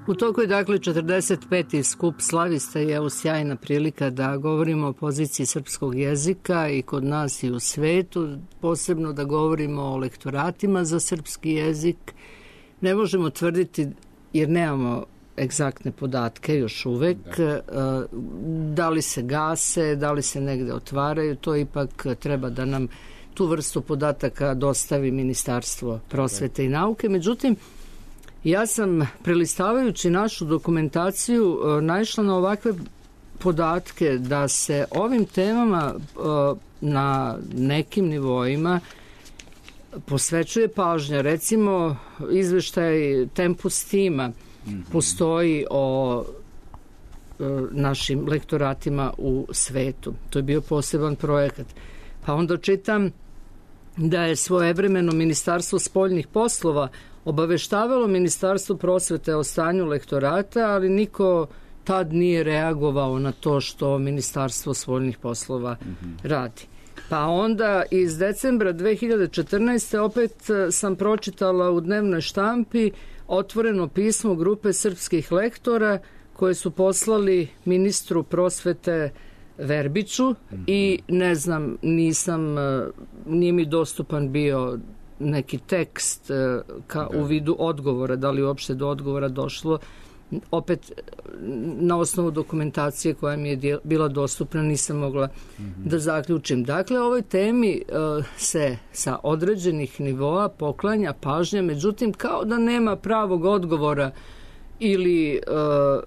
[SPEAKER 4] U toku je dakle četrdeset peti skup slavista i evo sjajna prilika da govorimo o poziciji srpskog jezika i kod nas i u svetu, posebno da govorimo o lektoratima za srpski jezik. Ne možemo tvrditi, jer nemamo egzaktne podatke još uvek, da. da li se gase, da li se negde otvaraju, to ipak treba da nam tu vrstu podataka dostavi Ministarstvo prosvete i nauke. Međutim, Ja sam, prelistavajući našu dokumentaciju, naišla na ovakve podatke da se ovim temama na nekim nivoima posvećuje pažnja. Recimo, izveštaj Tempus tima postoji o našim lektoratima u svetu. To je bio poseban projekat. Pa onda čitam da je svojevremeno Ministarstvo spoljnih poslova obaveštavalo Ministarstvo prosvete o stanju lektorata, ali niko tad nije reagovao na to što Ministarstvo spoljnih poslova mm-hmm. radi. Pa onda iz decembra dve hiljade četrnaeste. opet sam pročitala u dnevnoj štampi otvoreno pismo grupe srpskih lektora koje su poslali ministru prosvete Verbiću mm-hmm. i ne znam, nisam, nije mi dostupan bio neki tekst ka, u vidu odgovora, da li uopšte do odgovora došlo. Opet, na osnovu dokumentacije koja mi je bila dostupna, nisam mogla mm-hmm. da zaključim. Dakle, ovoj temi uh, se sa određenih nivoa poklanja pažnja, međutim, kao da nema pravog odgovora ili uh,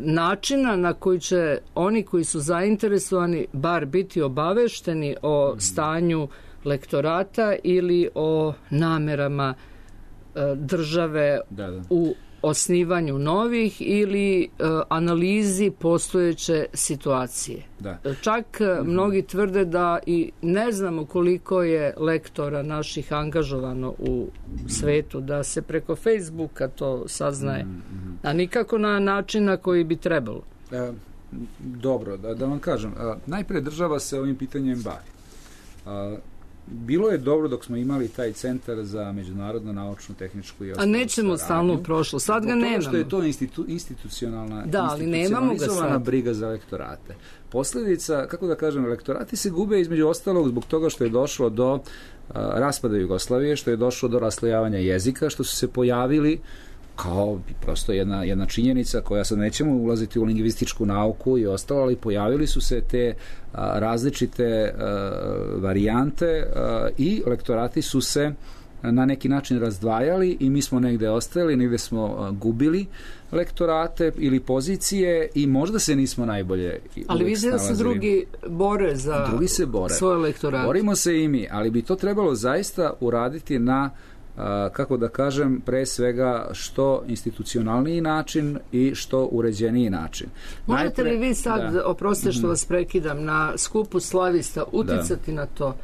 [SPEAKER 4] načina na koji će oni koji su zainteresovani bar biti obavešteni o mm-hmm. stanju lektorata ili o namerama uh, države da, da. u osnivanju novih ili uh, analizi postojeće situacije. Da. Čak mm-hmm. mnogi tvrde da i ne znamo koliko je lektora naših angažovano u svetu, da se preko Facebooka to saznaje, mm-hmm. a nikako na način na koji bi trebalo.
[SPEAKER 5] E, dobro, da, da vam kažem. A, najpre država se ovim pitanjem bavi. A, Bilo je dobro dok smo imali taj centar za međunarodno naučnu, tehničku i ostalu
[SPEAKER 4] saradnju. A nećemo stalno prošlo, sad ga nemamo.
[SPEAKER 5] Što je to institu, institucionalna,
[SPEAKER 4] da, ali nemamo ga sad.
[SPEAKER 5] Briga za lektorate. Posljedica, kako da kažem, lektorati se gube između ostalog zbog toga što je došlo do uh, raspada Jugoslavije, što je došlo do raslojavanja jezika, što su se pojavili kao prosto jedna, jedna činjenica koja sad nećemo ulaziti u lingvističku nauku i ostalo, ali pojavili su se te a, različite a, varijante a, i lektorati su se na neki način razdvajali i mi smo negde ostajali, negde smo a, gubili lektorate ili pozicije i možda se nismo najbolje
[SPEAKER 4] ali vidim da se drugi bore za
[SPEAKER 5] drugi se bore. Svoje lektorate. Borimo se i mi, ali bi to trebalo zaista uraditi na Uh, kako da kažem, pre svega što institucionalniji način i što uređeniji način.
[SPEAKER 4] Možete Najpre, li vi sad, da. oprostite što vas prekidam, na skupu slavista uticati da. na to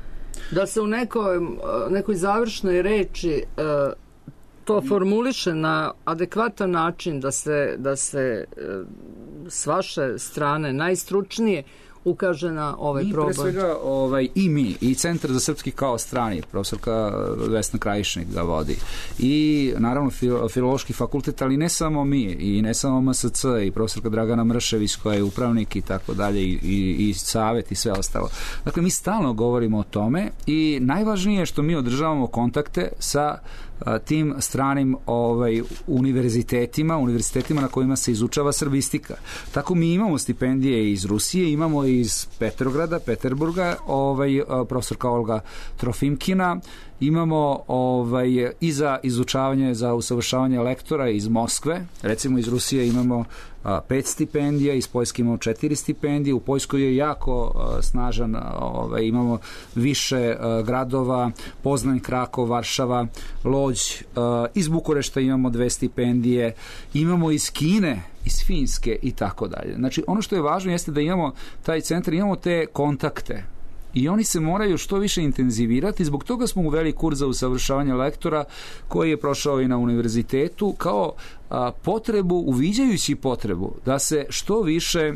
[SPEAKER 4] da se u nekoj, nekoj završnoj reči uh, to formuliše na adekvatan način, da se, da se uh, s vaše strane najstručnije ukaže na ovaj
[SPEAKER 5] mi,
[SPEAKER 4] problem.
[SPEAKER 5] Mi pre svega ovaj, i mi, i Centar za srpski kao strani, profesorka Vesna Krajišnik ga vodi. I naravno fil, Filološki fakultet, ali ne samo mi, i ne samo M S C, i profesorka Dragana Mršević koja je upravnik i tako dalje, i, i, i savet i sve ostalo. Dakle, mi stalno govorimo o tome i najvažnije je što mi održavamo kontakte sa tim stranim ovaj, univerzitetima, univerzitetima na kojima se izučava srbistika. Tako mi imamo stipendije iz Rusije, imamo iz Petrograda, Peterburga, ovaj, profesorka Olga Trofimkina, imamo ovaj, i za izučavanje, za usavršavanje lektora iz Moskve, recimo iz Rusije imamo a, pet stipendija, iz Poljske imamo četiri stipendije, u Poljskoj je jako a, snažan, ovaj, imamo više a, gradova, Poznań, Krakov, Varšava, Lodž, a, iz Bukurešta imamo dve stipendije, imamo iz Kine, iz Finske i tako dalje. Znači, ono što je važno jeste da imamo taj centar, imamo te kontakte i oni se moraju što više intenzivirati. Zbog toga smo uveli kurs za usavršavanje lektora koji je prošao i na univerzitetu kao a, potrebu, uviđajući potrebu da se što više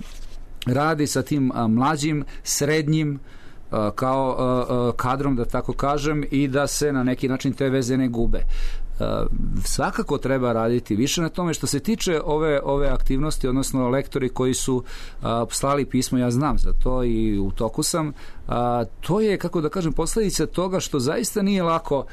[SPEAKER 5] radi sa tim a, mlađim, srednjim a, kao a, a, kadrom, da tako kažem, i da se na neki način te veze ne gube. Uh, svakako treba raditi više na tome. Što se tiče ove, ove aktivnosti, odnosno lektori koji su uh, slali pismo, ja znam za to i u toku sam, uh, to je, kako da kažem, posljedica toga što zaista nije lako,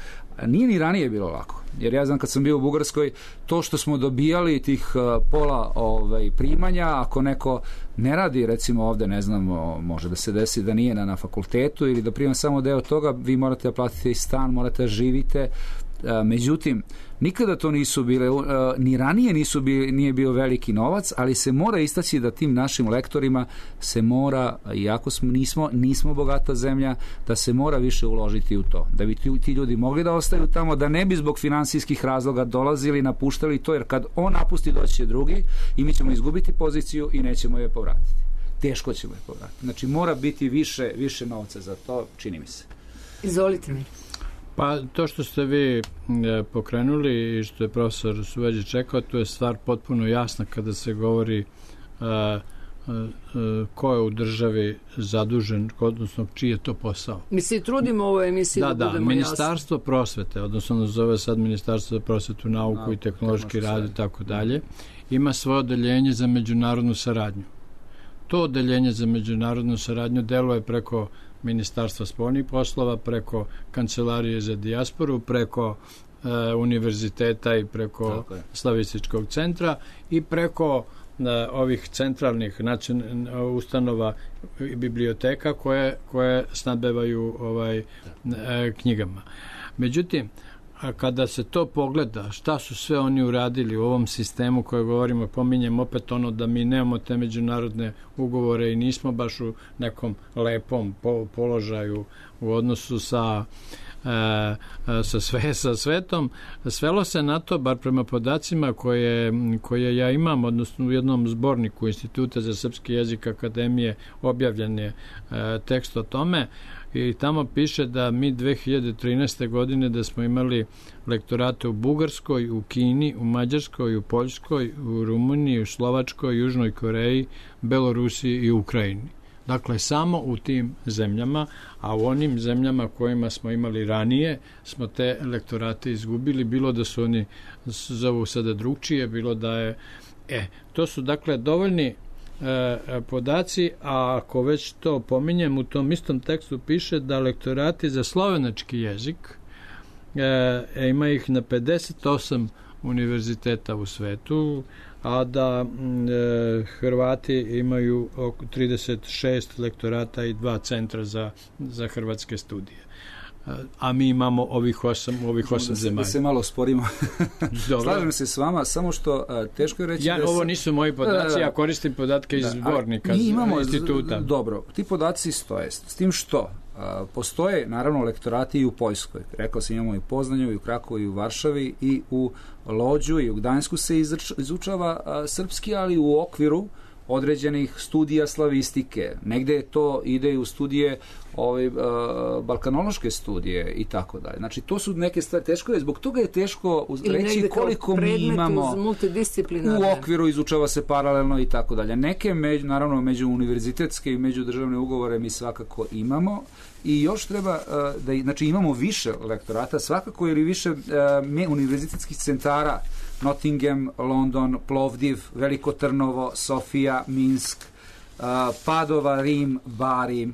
[SPEAKER 5] nije ni ranije bilo lako. Jer ja znam kad sam bio u Bugarskoj, to što smo dobijali tih uh, pola ovaj, primanja, ako neko ne radi, recimo ovde, ne znam, može da se desi da nije na, na fakultetu ili da prima samo deo toga, vi morate da platite i stan, morate da živite. Međutim, nikada to nisu bile, ni ranije nisu bili, nije bio veliki novac, ali se mora istaći da tim našim lektorima se mora, iako smo, nismo, nismo bogata zemlja, da se mora više uložiti u to. Da bi ti, ti ljudi mogli da ostaju tamo, da ne bi zbog finansijskih razloga dolazili, napuštali to, jer kad on napusti doći će drugi i mi ćemo izgubiti poziciju i nećemo je povratiti. Teško ćemo je povratiti. Znači mora biti više, više novca za to, čini mi se.
[SPEAKER 4] Izvolite mi.
[SPEAKER 3] Pa to što ste vi e, pokrenuli i što je profesor Suveđić rekao, to je stvar potpuno jasna kada se govori e, e, ko je u državi zadužen, odnosno čiji je to posao.
[SPEAKER 4] Mi se trudimo u ovoj emisiji da,
[SPEAKER 3] da,
[SPEAKER 4] da budemo
[SPEAKER 3] da, Ministarstvo
[SPEAKER 4] jasni.
[SPEAKER 3] Prosvete, odnosno zove sad Ministarstvo za prosvetu, nauku no, i tehnološki rad i tako dalje, ima svoje odeljenje za međunarodnu saradnju. To odeljenje za međunarodnu saradnju deluje preko Ministarstva spoljnih poslova, preko Kancelarije za dijasporu, preko e, univerziteta i preko Slavističkog centra i preko e, ovih centralnih nacion, ustanova i biblioteka koje, koje snabdevaju ovaj, e, knjigama. Međutim, a kada se to pogleda, šta su sve oni uradili u ovom sistemu koje govorimo, pominjem opet ono da mi nemamo te međunarodne ugovore i nismo baš u nekom lepom po, položaju u odnosu sa, e, sa, sve, sa svetom, svelo se na to, bar prema podacima koje, koje ja imam, odnosno u jednom zborniku Instituta za srpski jezik Akademije objavljen je e, tekst o tome, i tamo piše da mi dve hiljade trinaeste. godine da smo imali lektorate u Bugarskoj, u Kini, u Mađarskoj, u Poljskoj, u Rumuniji, u Slovačkoj, Južnoj Koreji, Belorusiji i Ukrajini. Dakle, samo u tim zemljama, a u onim zemljama kojima smo imali ranije smo te lektorate izgubili, bilo da su oni zovu sada drugčije, bilo da je... E, to su dakle dovoljni E, podaci, a ako već to pominjem, u tom istom tekstu piše da lektorati za slovenački jezik e, ima ih na pedeset osam univerziteta u svetu, a da e, Hrvati imaju oko trideset šest lektorata i dva centra za, za hrvatske studije. A mi imamo ovih osam, ovih osam zemalja. Da
[SPEAKER 5] se malo sporimo. Slažem se s vama, samo što a, teško je reći...
[SPEAKER 3] Ja,
[SPEAKER 5] da
[SPEAKER 3] ovo
[SPEAKER 5] se...
[SPEAKER 3] nisu moji podaci,
[SPEAKER 5] da, da,
[SPEAKER 3] ja koristim podatke iz zbornika,
[SPEAKER 5] mi imamo
[SPEAKER 3] instituta.
[SPEAKER 5] Dobro, ti podaci stoje. S tim što a, postoje, naravno, lektorati i u Poljskoj. Rekao sam, imamo i u Poznanju, i u Krakovu, i u Varšavi, i u Lođu, i u Gdańsku se izrač, izučava a, srpski, ali u okviru određenih studija slavistike. Negde to ide u studije ove, uh, balkanološke studije i tako dalje. Znači, to su neke stvari, teško je, zbog toga je teško reći koliko mi imamo u okviru, izučava se paralelno i tako dalje. Neke, među, naravno, među univerzitetske i međudržavne ugovore mi svakako imamo i još treba, uh, da, znači, imamo više lektorata, svakako, ili više uh, univerzitetskih centara, Nottingham, London, Plovdiv, Veliko Trnovo, Sofija, Minsk, uh, Padova, Rim, Bari, uh,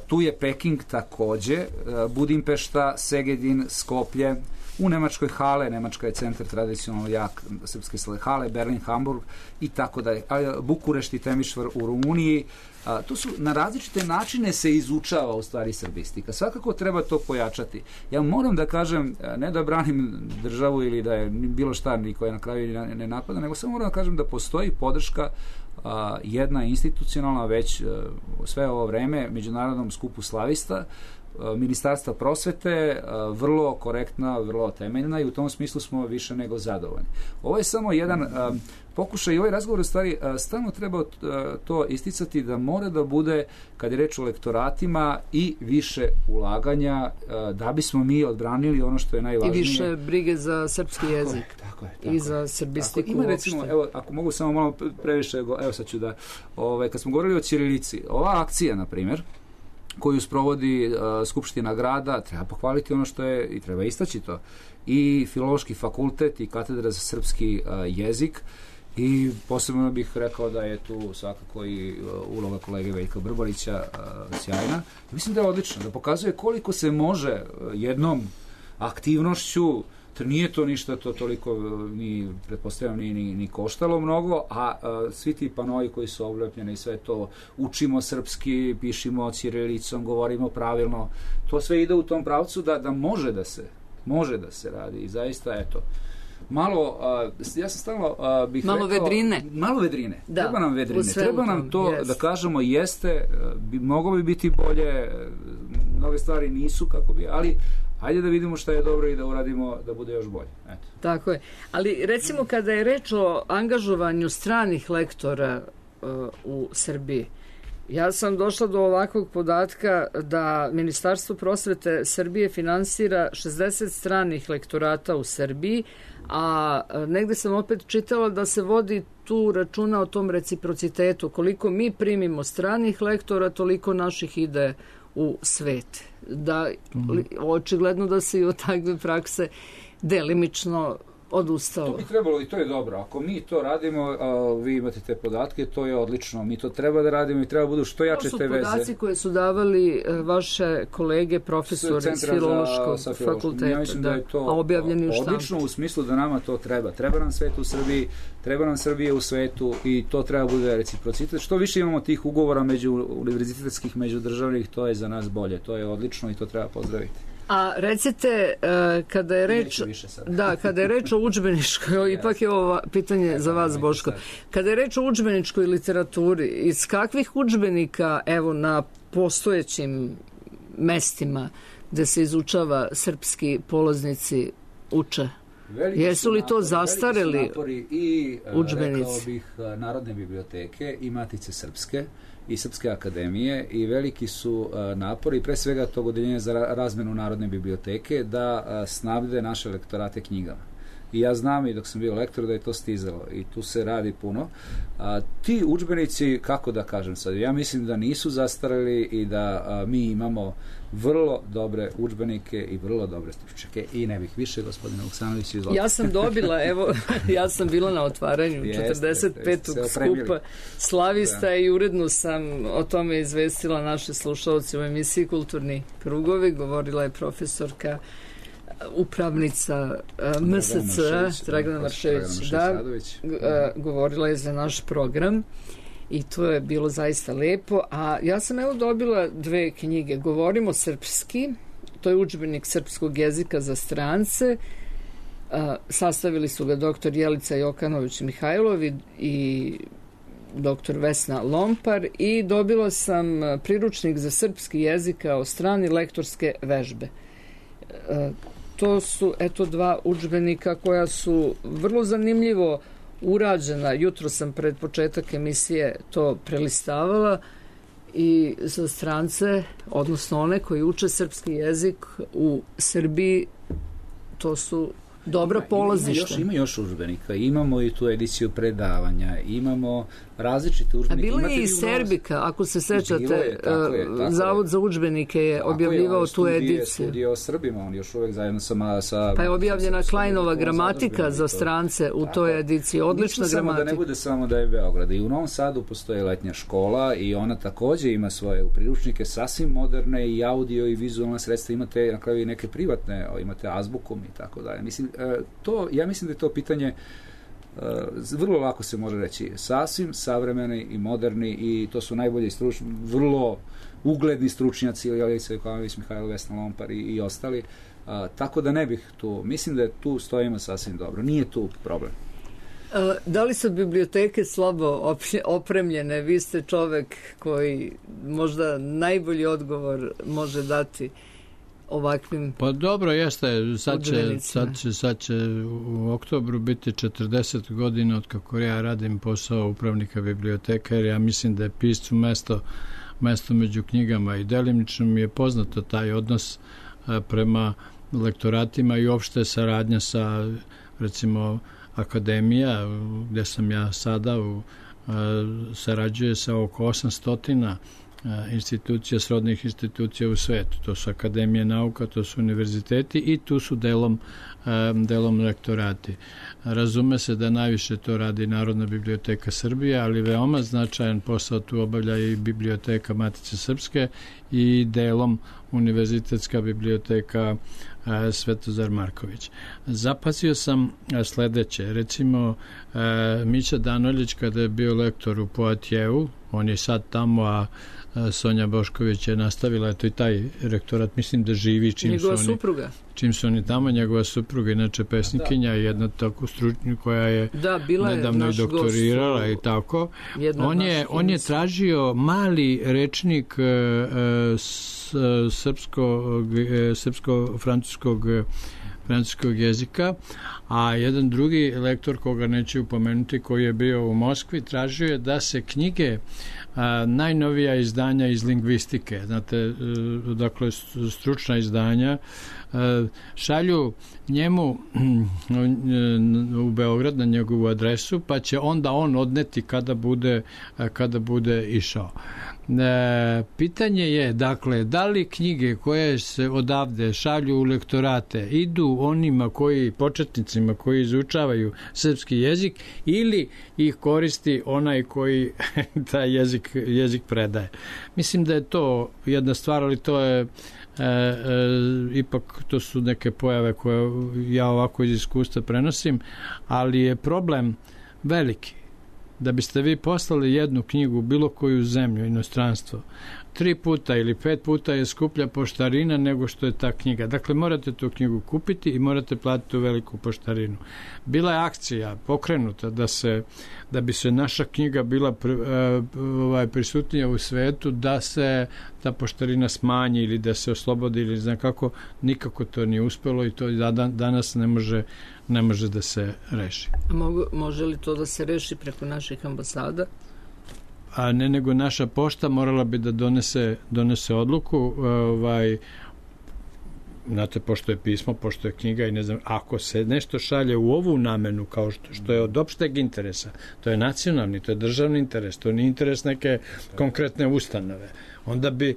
[SPEAKER 5] tu je Peking takođe, uh, Budimpešta, Segedin, Skoplje, u Nemačkoj Hale, Nemačka je centar tradicionalno jak srpske Hale, Berlin, Hamburg i tako dalje, Bukurešt i Temišvar u Rumuniji. A, to su na različite načine se izučava u stvari srbistika. Svakako treba to pojačati. Ja moram da kažem, ne da branim državu ili da je bilo šta niko je na kraju ne napada, nego samo moram da kažem da postoji podrška a, jedna institucionalna već a, sve ovo vreme Međunarodnom skupu slavista, Ministarstva prosvete, vrlo korektna, vrlo temeljna i u tom smislu smo više nego zadovoljni. Ovo je samo jedan pokušaj i ovaj razgovor u stvari stalno treba to isticati da mora da bude, kad je reč o lektoratima, i više ulaganja da bismo mi odbranili ono što je najvažnije.
[SPEAKER 4] I više brige za srpski jezik.
[SPEAKER 5] Tako je, tako je.
[SPEAKER 4] I za srbistiku
[SPEAKER 5] ima, recimo, evo, ako mogu samo malo previše, evo sad ću da, ovaj, kad smo govorili o ćirilici, ova akcija, na primjer, koju sprovodi uh, Skupština grada, treba pohvaliti ono što je, i treba istaći to, i Filološki fakultet i Katedra za srpski uh, jezik, i posebno bih rekao da je tu svakako i uh, uloga kolege Veljka Brbarića uh, sjajna. Mislim da je odlično, da pokazuje koliko se može uh, jednom aktivnošću, nije to ništa to toliko ni pretpostavljam ni, ni, ni koštalo mnogo, a, a svi ti panoji koji su oblepljeni i sve to, učimo srpski, pišimo ćirilicom, govorimo pravilno, to sve ide u tom pravcu da, da može da se može da se radi i zaista, eto, malo, a, ja sam stalno a, bih
[SPEAKER 4] malo
[SPEAKER 5] rekao...
[SPEAKER 4] vedrine.
[SPEAKER 5] Malo vedrine.
[SPEAKER 4] Da,
[SPEAKER 5] treba nam vedrine. Treba nam to,
[SPEAKER 4] jest.
[SPEAKER 5] da kažemo, jeste, bi, moglo bi biti bolje, mnoge stvari nisu kako bi, ali hajde da vidimo šta je dobro i da uradimo da bude još bolje. Eto.
[SPEAKER 4] Tako je. Ali recimo kada je reč o angažovanju stranih lektora uh, u Srbiji, ja sam došla do ovakvog podatka da Ministarstvo prosvete Srbije finansira šezdeset stranih lektorata u Srbiji, a negde sam opet čitala da se vodi tu računa o tom reciprocitetu. Koliko mi primimo stranih lektora, toliko naših ide u svet. Da, očigledno da se i od takve prakse delimično odustalo.
[SPEAKER 5] To bi trebalo i to je dobro. Ako mi to radimo, a, vi imate te podatke, to je odlično. Mi to treba da radimo i treba budu što jače te veze.
[SPEAKER 4] To su podaci koje su davali vaše kolege profesori iz Filološkog fakulteta.
[SPEAKER 5] Ja mislim da, da je to
[SPEAKER 4] a objavljeni u štampu.
[SPEAKER 5] Odlično u smislu da nama to treba. Treba nam svet u Srbiji, treba nam Srbije u svetu i to treba bude reciprocitet. Što više imamo tih ugovora među univerzitetskih, međudržavnih, to je za nas bolje. To je odlično i to treba pozdraviti.
[SPEAKER 4] A recite, kada je reč da, kada je reč o udžbeničkoj, ipak je ovo pitanje za vas, Boško, kada je reč o udžbeničkoj literaturi, iz kakvih udžbenika, evo, na postojećim mestima gde se izučava srpski polaznici uče?
[SPEAKER 5] Veliki
[SPEAKER 4] Jesu li to
[SPEAKER 5] napori,
[SPEAKER 4] zastareli
[SPEAKER 5] i
[SPEAKER 4] udžbenici?
[SPEAKER 5] Rekao bih Narodne biblioteke i Matice Srpske i Srpske akademije i veliki su napori, pre svega tog odeljenja za razmenu Narodne biblioteke, da snabde naše lektorate knjigama. I ja znam i dok sam bio lektor da je to stizalo i tu se radi puno. A, ti udžbenici, kako da kažem sad, ja mislim da nisu zastareli i da a, mi imamo vrlo dobre udžbenike i vrlo dobre stručnjake i ne bih više, gospodine Vuksanović, izvolite.
[SPEAKER 4] Ja sam dobila, evo, ja sam bila na otvaranju četrdeset petog skupa Slavista da. I uredno sam o tome izvestila naše slušalci u emisiji Kulturni krugovi. Govorila je profesorka upravnica M S C Dragana Maršević, da, govorila je za naš program i to je bilo zaista lepo, a ja sam evo dobila dve knjige. Govorimo srpski, to je udžbenik srpskog jezika za strance, sastavili su ga doktor Jelica Jokanović-Mihajlov i doktor Vesna Lompar i dobila sam priručnik za srpski jezik kao strani lektorske vežbe. To su, eto, dva udžbenika koja su vrlo zanimljivo urađena. Jutro sam pred početak emisije to prelistavala i za strance, odnosno one koji uče srpski jezik u Srbiji, to su dobra polazišta.
[SPEAKER 5] Ima, ima još udžbenika, imamo i tu ediciju predavanja, imamo različite udžbenike.
[SPEAKER 4] A bilo je i Serbika, ako se sećate, je, tako je, tako Zavod je. Za udžbenike je tako objavljivao je, tu studije, ediciju.
[SPEAKER 5] Studije o Srbima, on još uvek zajedno sa... sa
[SPEAKER 4] pa je objavljena sa, Klajnova gramatika za strance u toj ediciji, odlična gramatika.
[SPEAKER 5] Da ne bude samo da je Beograd. I u Novom Sadu postoje letnja škola i ona takođe ima svoje priručnike sasvim moderne i audio i vizualna sredstva, imate na kraju i neke privatne, imate azbukom i tako dalje. Mislim, to, ja mislim da je to pitanje Uh, vrlo lako se može reći, sasvim savremeni i moderni i to su najbolji stručni, vrlo ugledni stručnjaci, Jelica Jokanović, Mihajlo, Vesna Lompar i, i ostali, uh, tako da ne bih tu, mislim da tu stojimo sasvim dobro, nije tu problem.
[SPEAKER 4] Uh, da li su biblioteke slabo opremljene? Vi ste čovek koji možda najbolji odgovor može dati ovakvim.
[SPEAKER 3] Pa dobro, jeste, sad će, sad će, sad će u oktobru biti četrdeset godina od kako ja radim posao upravnika biblioteka, jer ja mislim da je piscu mesto, mesto među knjigama i delimično mi je poznato taj odnos a, prema lektoratima i uopšte saradnja sa, recimo, akademija, gde sam ja sada, u, a, sarađuje sa oko osamsto institucija, srodnih institucija u svetu. To su akademije nauka, to su univerziteti i tu su delom, delom lektorati. Razume se da najviše to radi Narodna biblioteka Srbije, ali veoma značajan posao tu obavlja i biblioteka Matice Srpske i delom univerzitetska biblioteka Svetozar Marković. Zapazio sam sledeće. Recimo, Mića Danoljić kada je bio lektor u Poatijevu, on je sad tamo, a Sonja Bošković je nastavila, eto i taj rektorat, mislim da živi čim
[SPEAKER 4] njegova
[SPEAKER 3] su oni...
[SPEAKER 4] supruga.
[SPEAKER 3] čim su oni tamo, njegova supruga, inače pesnikinja, jedna tako stručnja koja je
[SPEAKER 4] da, bila je
[SPEAKER 3] nedavno i doktorirala gost, i tako. On je, on je tražio mali rečnik e, s, srpskog, srpsko-francuskog francuskog jezika, a jedan drugi lektor koga neću upomenuti, koji je bio u Moskvi, tražio je da se knjige a, najnovija izdanja iz lingvistike, znate, dakle stručna izdanja, a, šalju njemu u Beograd na njegovu adresu, pa će onda on odneti kada bude, kada bude išao. E, pitanje je, dakle, da li knjige koje se odavde šalju u lektorate idu onima koji, početnicima koji izučavaju srpski jezik, ili ih koristi onaj koji taj jezik, jezik predaje. Mislim da je to jedna stvar, ali to je E, e, ipak to su neke pojave koje ja ovako iz iskustva prenosim, ali je problem veliki. Da biste vi poslali jednu knjigu u bilo koju zemlju, inostranstvo, tri puta ili pet puta je skuplja poštarina nego što je ta knjiga. Dakle, morate tu knjigu kupiti i morate platiti tu veliku poštarinu. Bila je akcija pokrenuta da se, da bi se naša knjiga bila pr, ovaj, prisutnija u svetu, da se ta poštarina smanji ili da se oslobodi ili znam kako. Nikako to nije uspelo i to danas ne može, ne može da se reši.
[SPEAKER 4] A mogu, može li to da se reši preko naših ambasada?
[SPEAKER 3] A ne, nego naša pošta morala bi da donese, donese odluku, ovaj, znate, pošto je pismo, pošto je knjiga i ne znam, ako se nešto šalje u ovu namenu, kao što, što je od opšteg interesa, to je nacionalni, to je državni interes, to nije interes neke konkretne ustanove, onda bi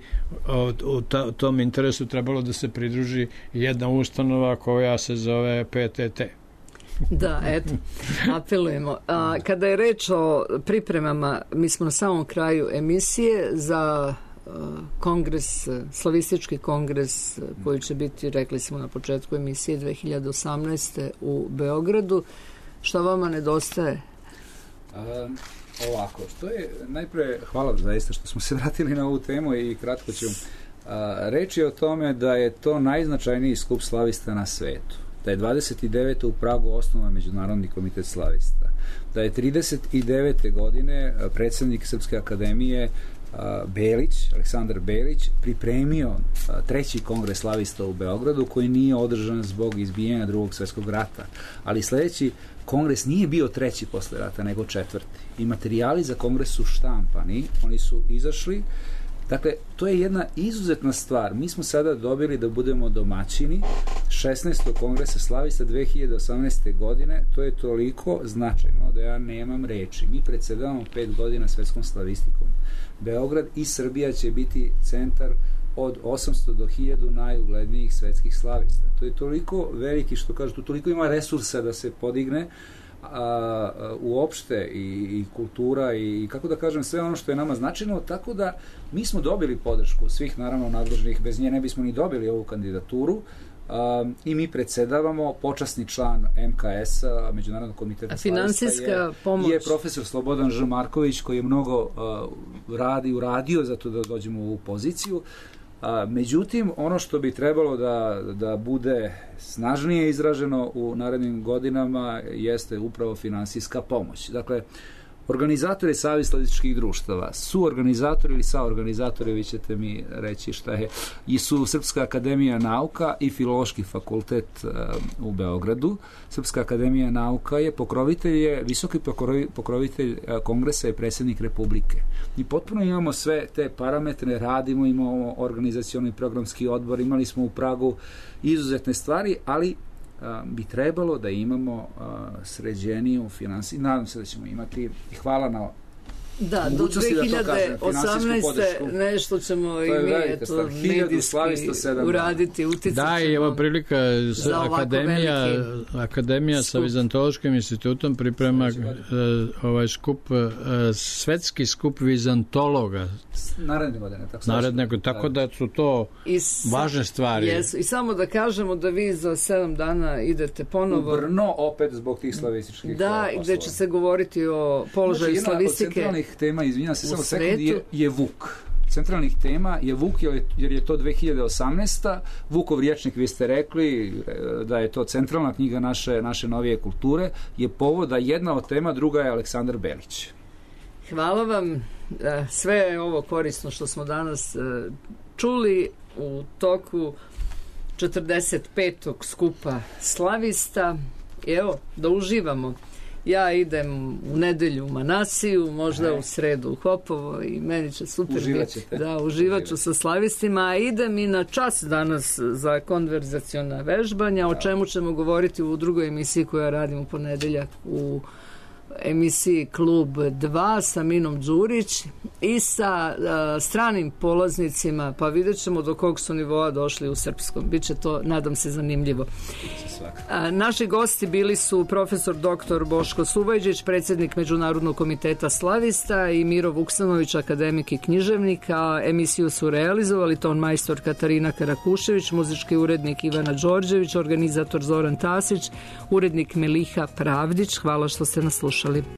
[SPEAKER 3] u tom interesu trebalo da se pridruži jedna ustanova koja se zove P T T.
[SPEAKER 4] Da, eto, apelujemo. A, kada je reč o pripremama, mi smo na samom kraju emisije za uh, kongres, slavistički kongres koji će biti, rekli smo na početku emisije, dve hiljade osamnaeste u Beogradu. Šta vama nedostaje?
[SPEAKER 5] A, ovako, što je, najpre, hvala zaista što smo se vratili na ovu temu i kratko ću a, reći o tome da je to najznačajniji skup slavista na svetu. Da je dvadeset devete u Pragu osnovan Međunarodni komitet slavista, da je trideset devete godine predsjednik Srpske akademije Belić, Aleksandar Belić, pripremio treći kongres slavista u Beogradu, koji nije održan zbog izbijanja drugog svjetskog rata, ali sljedeći kongres nije bio treći posle rata, nego četvrti. I materijali za kongres su štampani, oni su izašli. Dakle, to je jedna izuzetna stvar. Mi smo sada dobili da budemo domaćini šesnaestog kongresa slavista dve hiljade osamnaeste. godine. To je toliko značajno da ja nemam reči. Mi predsedavamo pet godina svetskom slavistikom. Beograd i Srbija će biti centar od osamsto do hiljadu najuglednijih svetskih slavista. To je toliko veliki, što kažu, tu toliko ima resursa da se podigne A, a, uopšte i, i kultura i, i kako da kažem sve ono što je nama značajno, tako da mi smo dobili podršku svih naravno nadležnih, bez nje ne bismo ni dobili ovu kandidaturu, a, i mi predsedavamo, počasni član M K S-a, Međunarodnog komiteta
[SPEAKER 4] finansijska
[SPEAKER 5] je,
[SPEAKER 4] pomoć
[SPEAKER 5] je profesor Slobodan Ž. Marković, koji je mnogo a, radi, uradio za to da dođemo u ovu poziciju. A, međutim, ono što bi trebalo da, da bude snažnije izraženo u narednim godinama jeste upravo finansijska pomoć. Dakle, organizatori Savez slavističkih društava, su organizatori ili saorganizatori, vi ćete mi reći šta je, i su Srpska akademija nauka i Filološki fakultet uh, u Beogradu. Srpska akademija nauka je pokrovitelj, je visoki pokrovitelj uh, kongresa i predsjednik Republike. I potpuno imamo sve te parametre, radimo, imamo organizacioni programski odbor, imali smo u Pragu izuzetne stvari, ali bi trebalo da imamo sređeniju finansiju. Nadam se da ćemo imati, i hvala na
[SPEAKER 4] da, do dve hiljade osamnaeste. nešto ćemo i mi eto, medijski uraditi, uticati.
[SPEAKER 3] Da, i evo prilika, akademija, akademija sa Vizantološkim institutom priprema uh, ovaj skup, uh, svetski skup vizantologa.
[SPEAKER 5] Naredne godine. Tako,
[SPEAKER 3] Naredne, tako da su to
[SPEAKER 4] s,
[SPEAKER 3] važne stvari.
[SPEAKER 4] Jesu. I samo da kažemo da vi za sedam dana idete ponovo
[SPEAKER 5] u Brno, opet zbog tih slavističkih
[SPEAKER 4] da,
[SPEAKER 5] poslova.
[SPEAKER 4] Gde će se govoriti o položaju znači, slavistike
[SPEAKER 5] tema, izvinjam se, samo sekund, je, je Vuk. centralnih tema je Vuk, jer je to dve hiljade osamnaesta. Vukov rječnik, vi ste rekli da je to centralna knjiga naše, naše novije kulture, je povoda jedna od tema, druga je Aleksandar Belić.
[SPEAKER 4] Hvala vam. Sve je ovo korisno što smo danas čuli u toku četrdeset petog skupa slavista. I evo, da uživamo. Ja idem u nedelju u Manasiju, možda e. u sredu u Hopovo i meni će super biti. Da, uživat ću sa slavistima, a idem i na čas danas za konverzaciona vežbanja, o čemu ćemo govoriti u drugoj emisiji koja radim u ponedeljak u emisiji Klub dva sa Minom Đurić i sa uh, stranim polaznicima, pa vidjet ćemo do kog su nivoa došli u srpskom. Biće to, nadam se, zanimljivo. Uh, naši gosti bili su profesor doktor Boško Subajđić, predsjednik Međunarodnog komiteta slavista, i Miro Vuksanović, akademik i književnik, a emisiju su realizovali ton majstor Katarina Karakušević, muzički urednik Ivana Đorđević, organizator Zoran Tasić, urednik Meliha Pravdić. Hvala što ste nas slušali.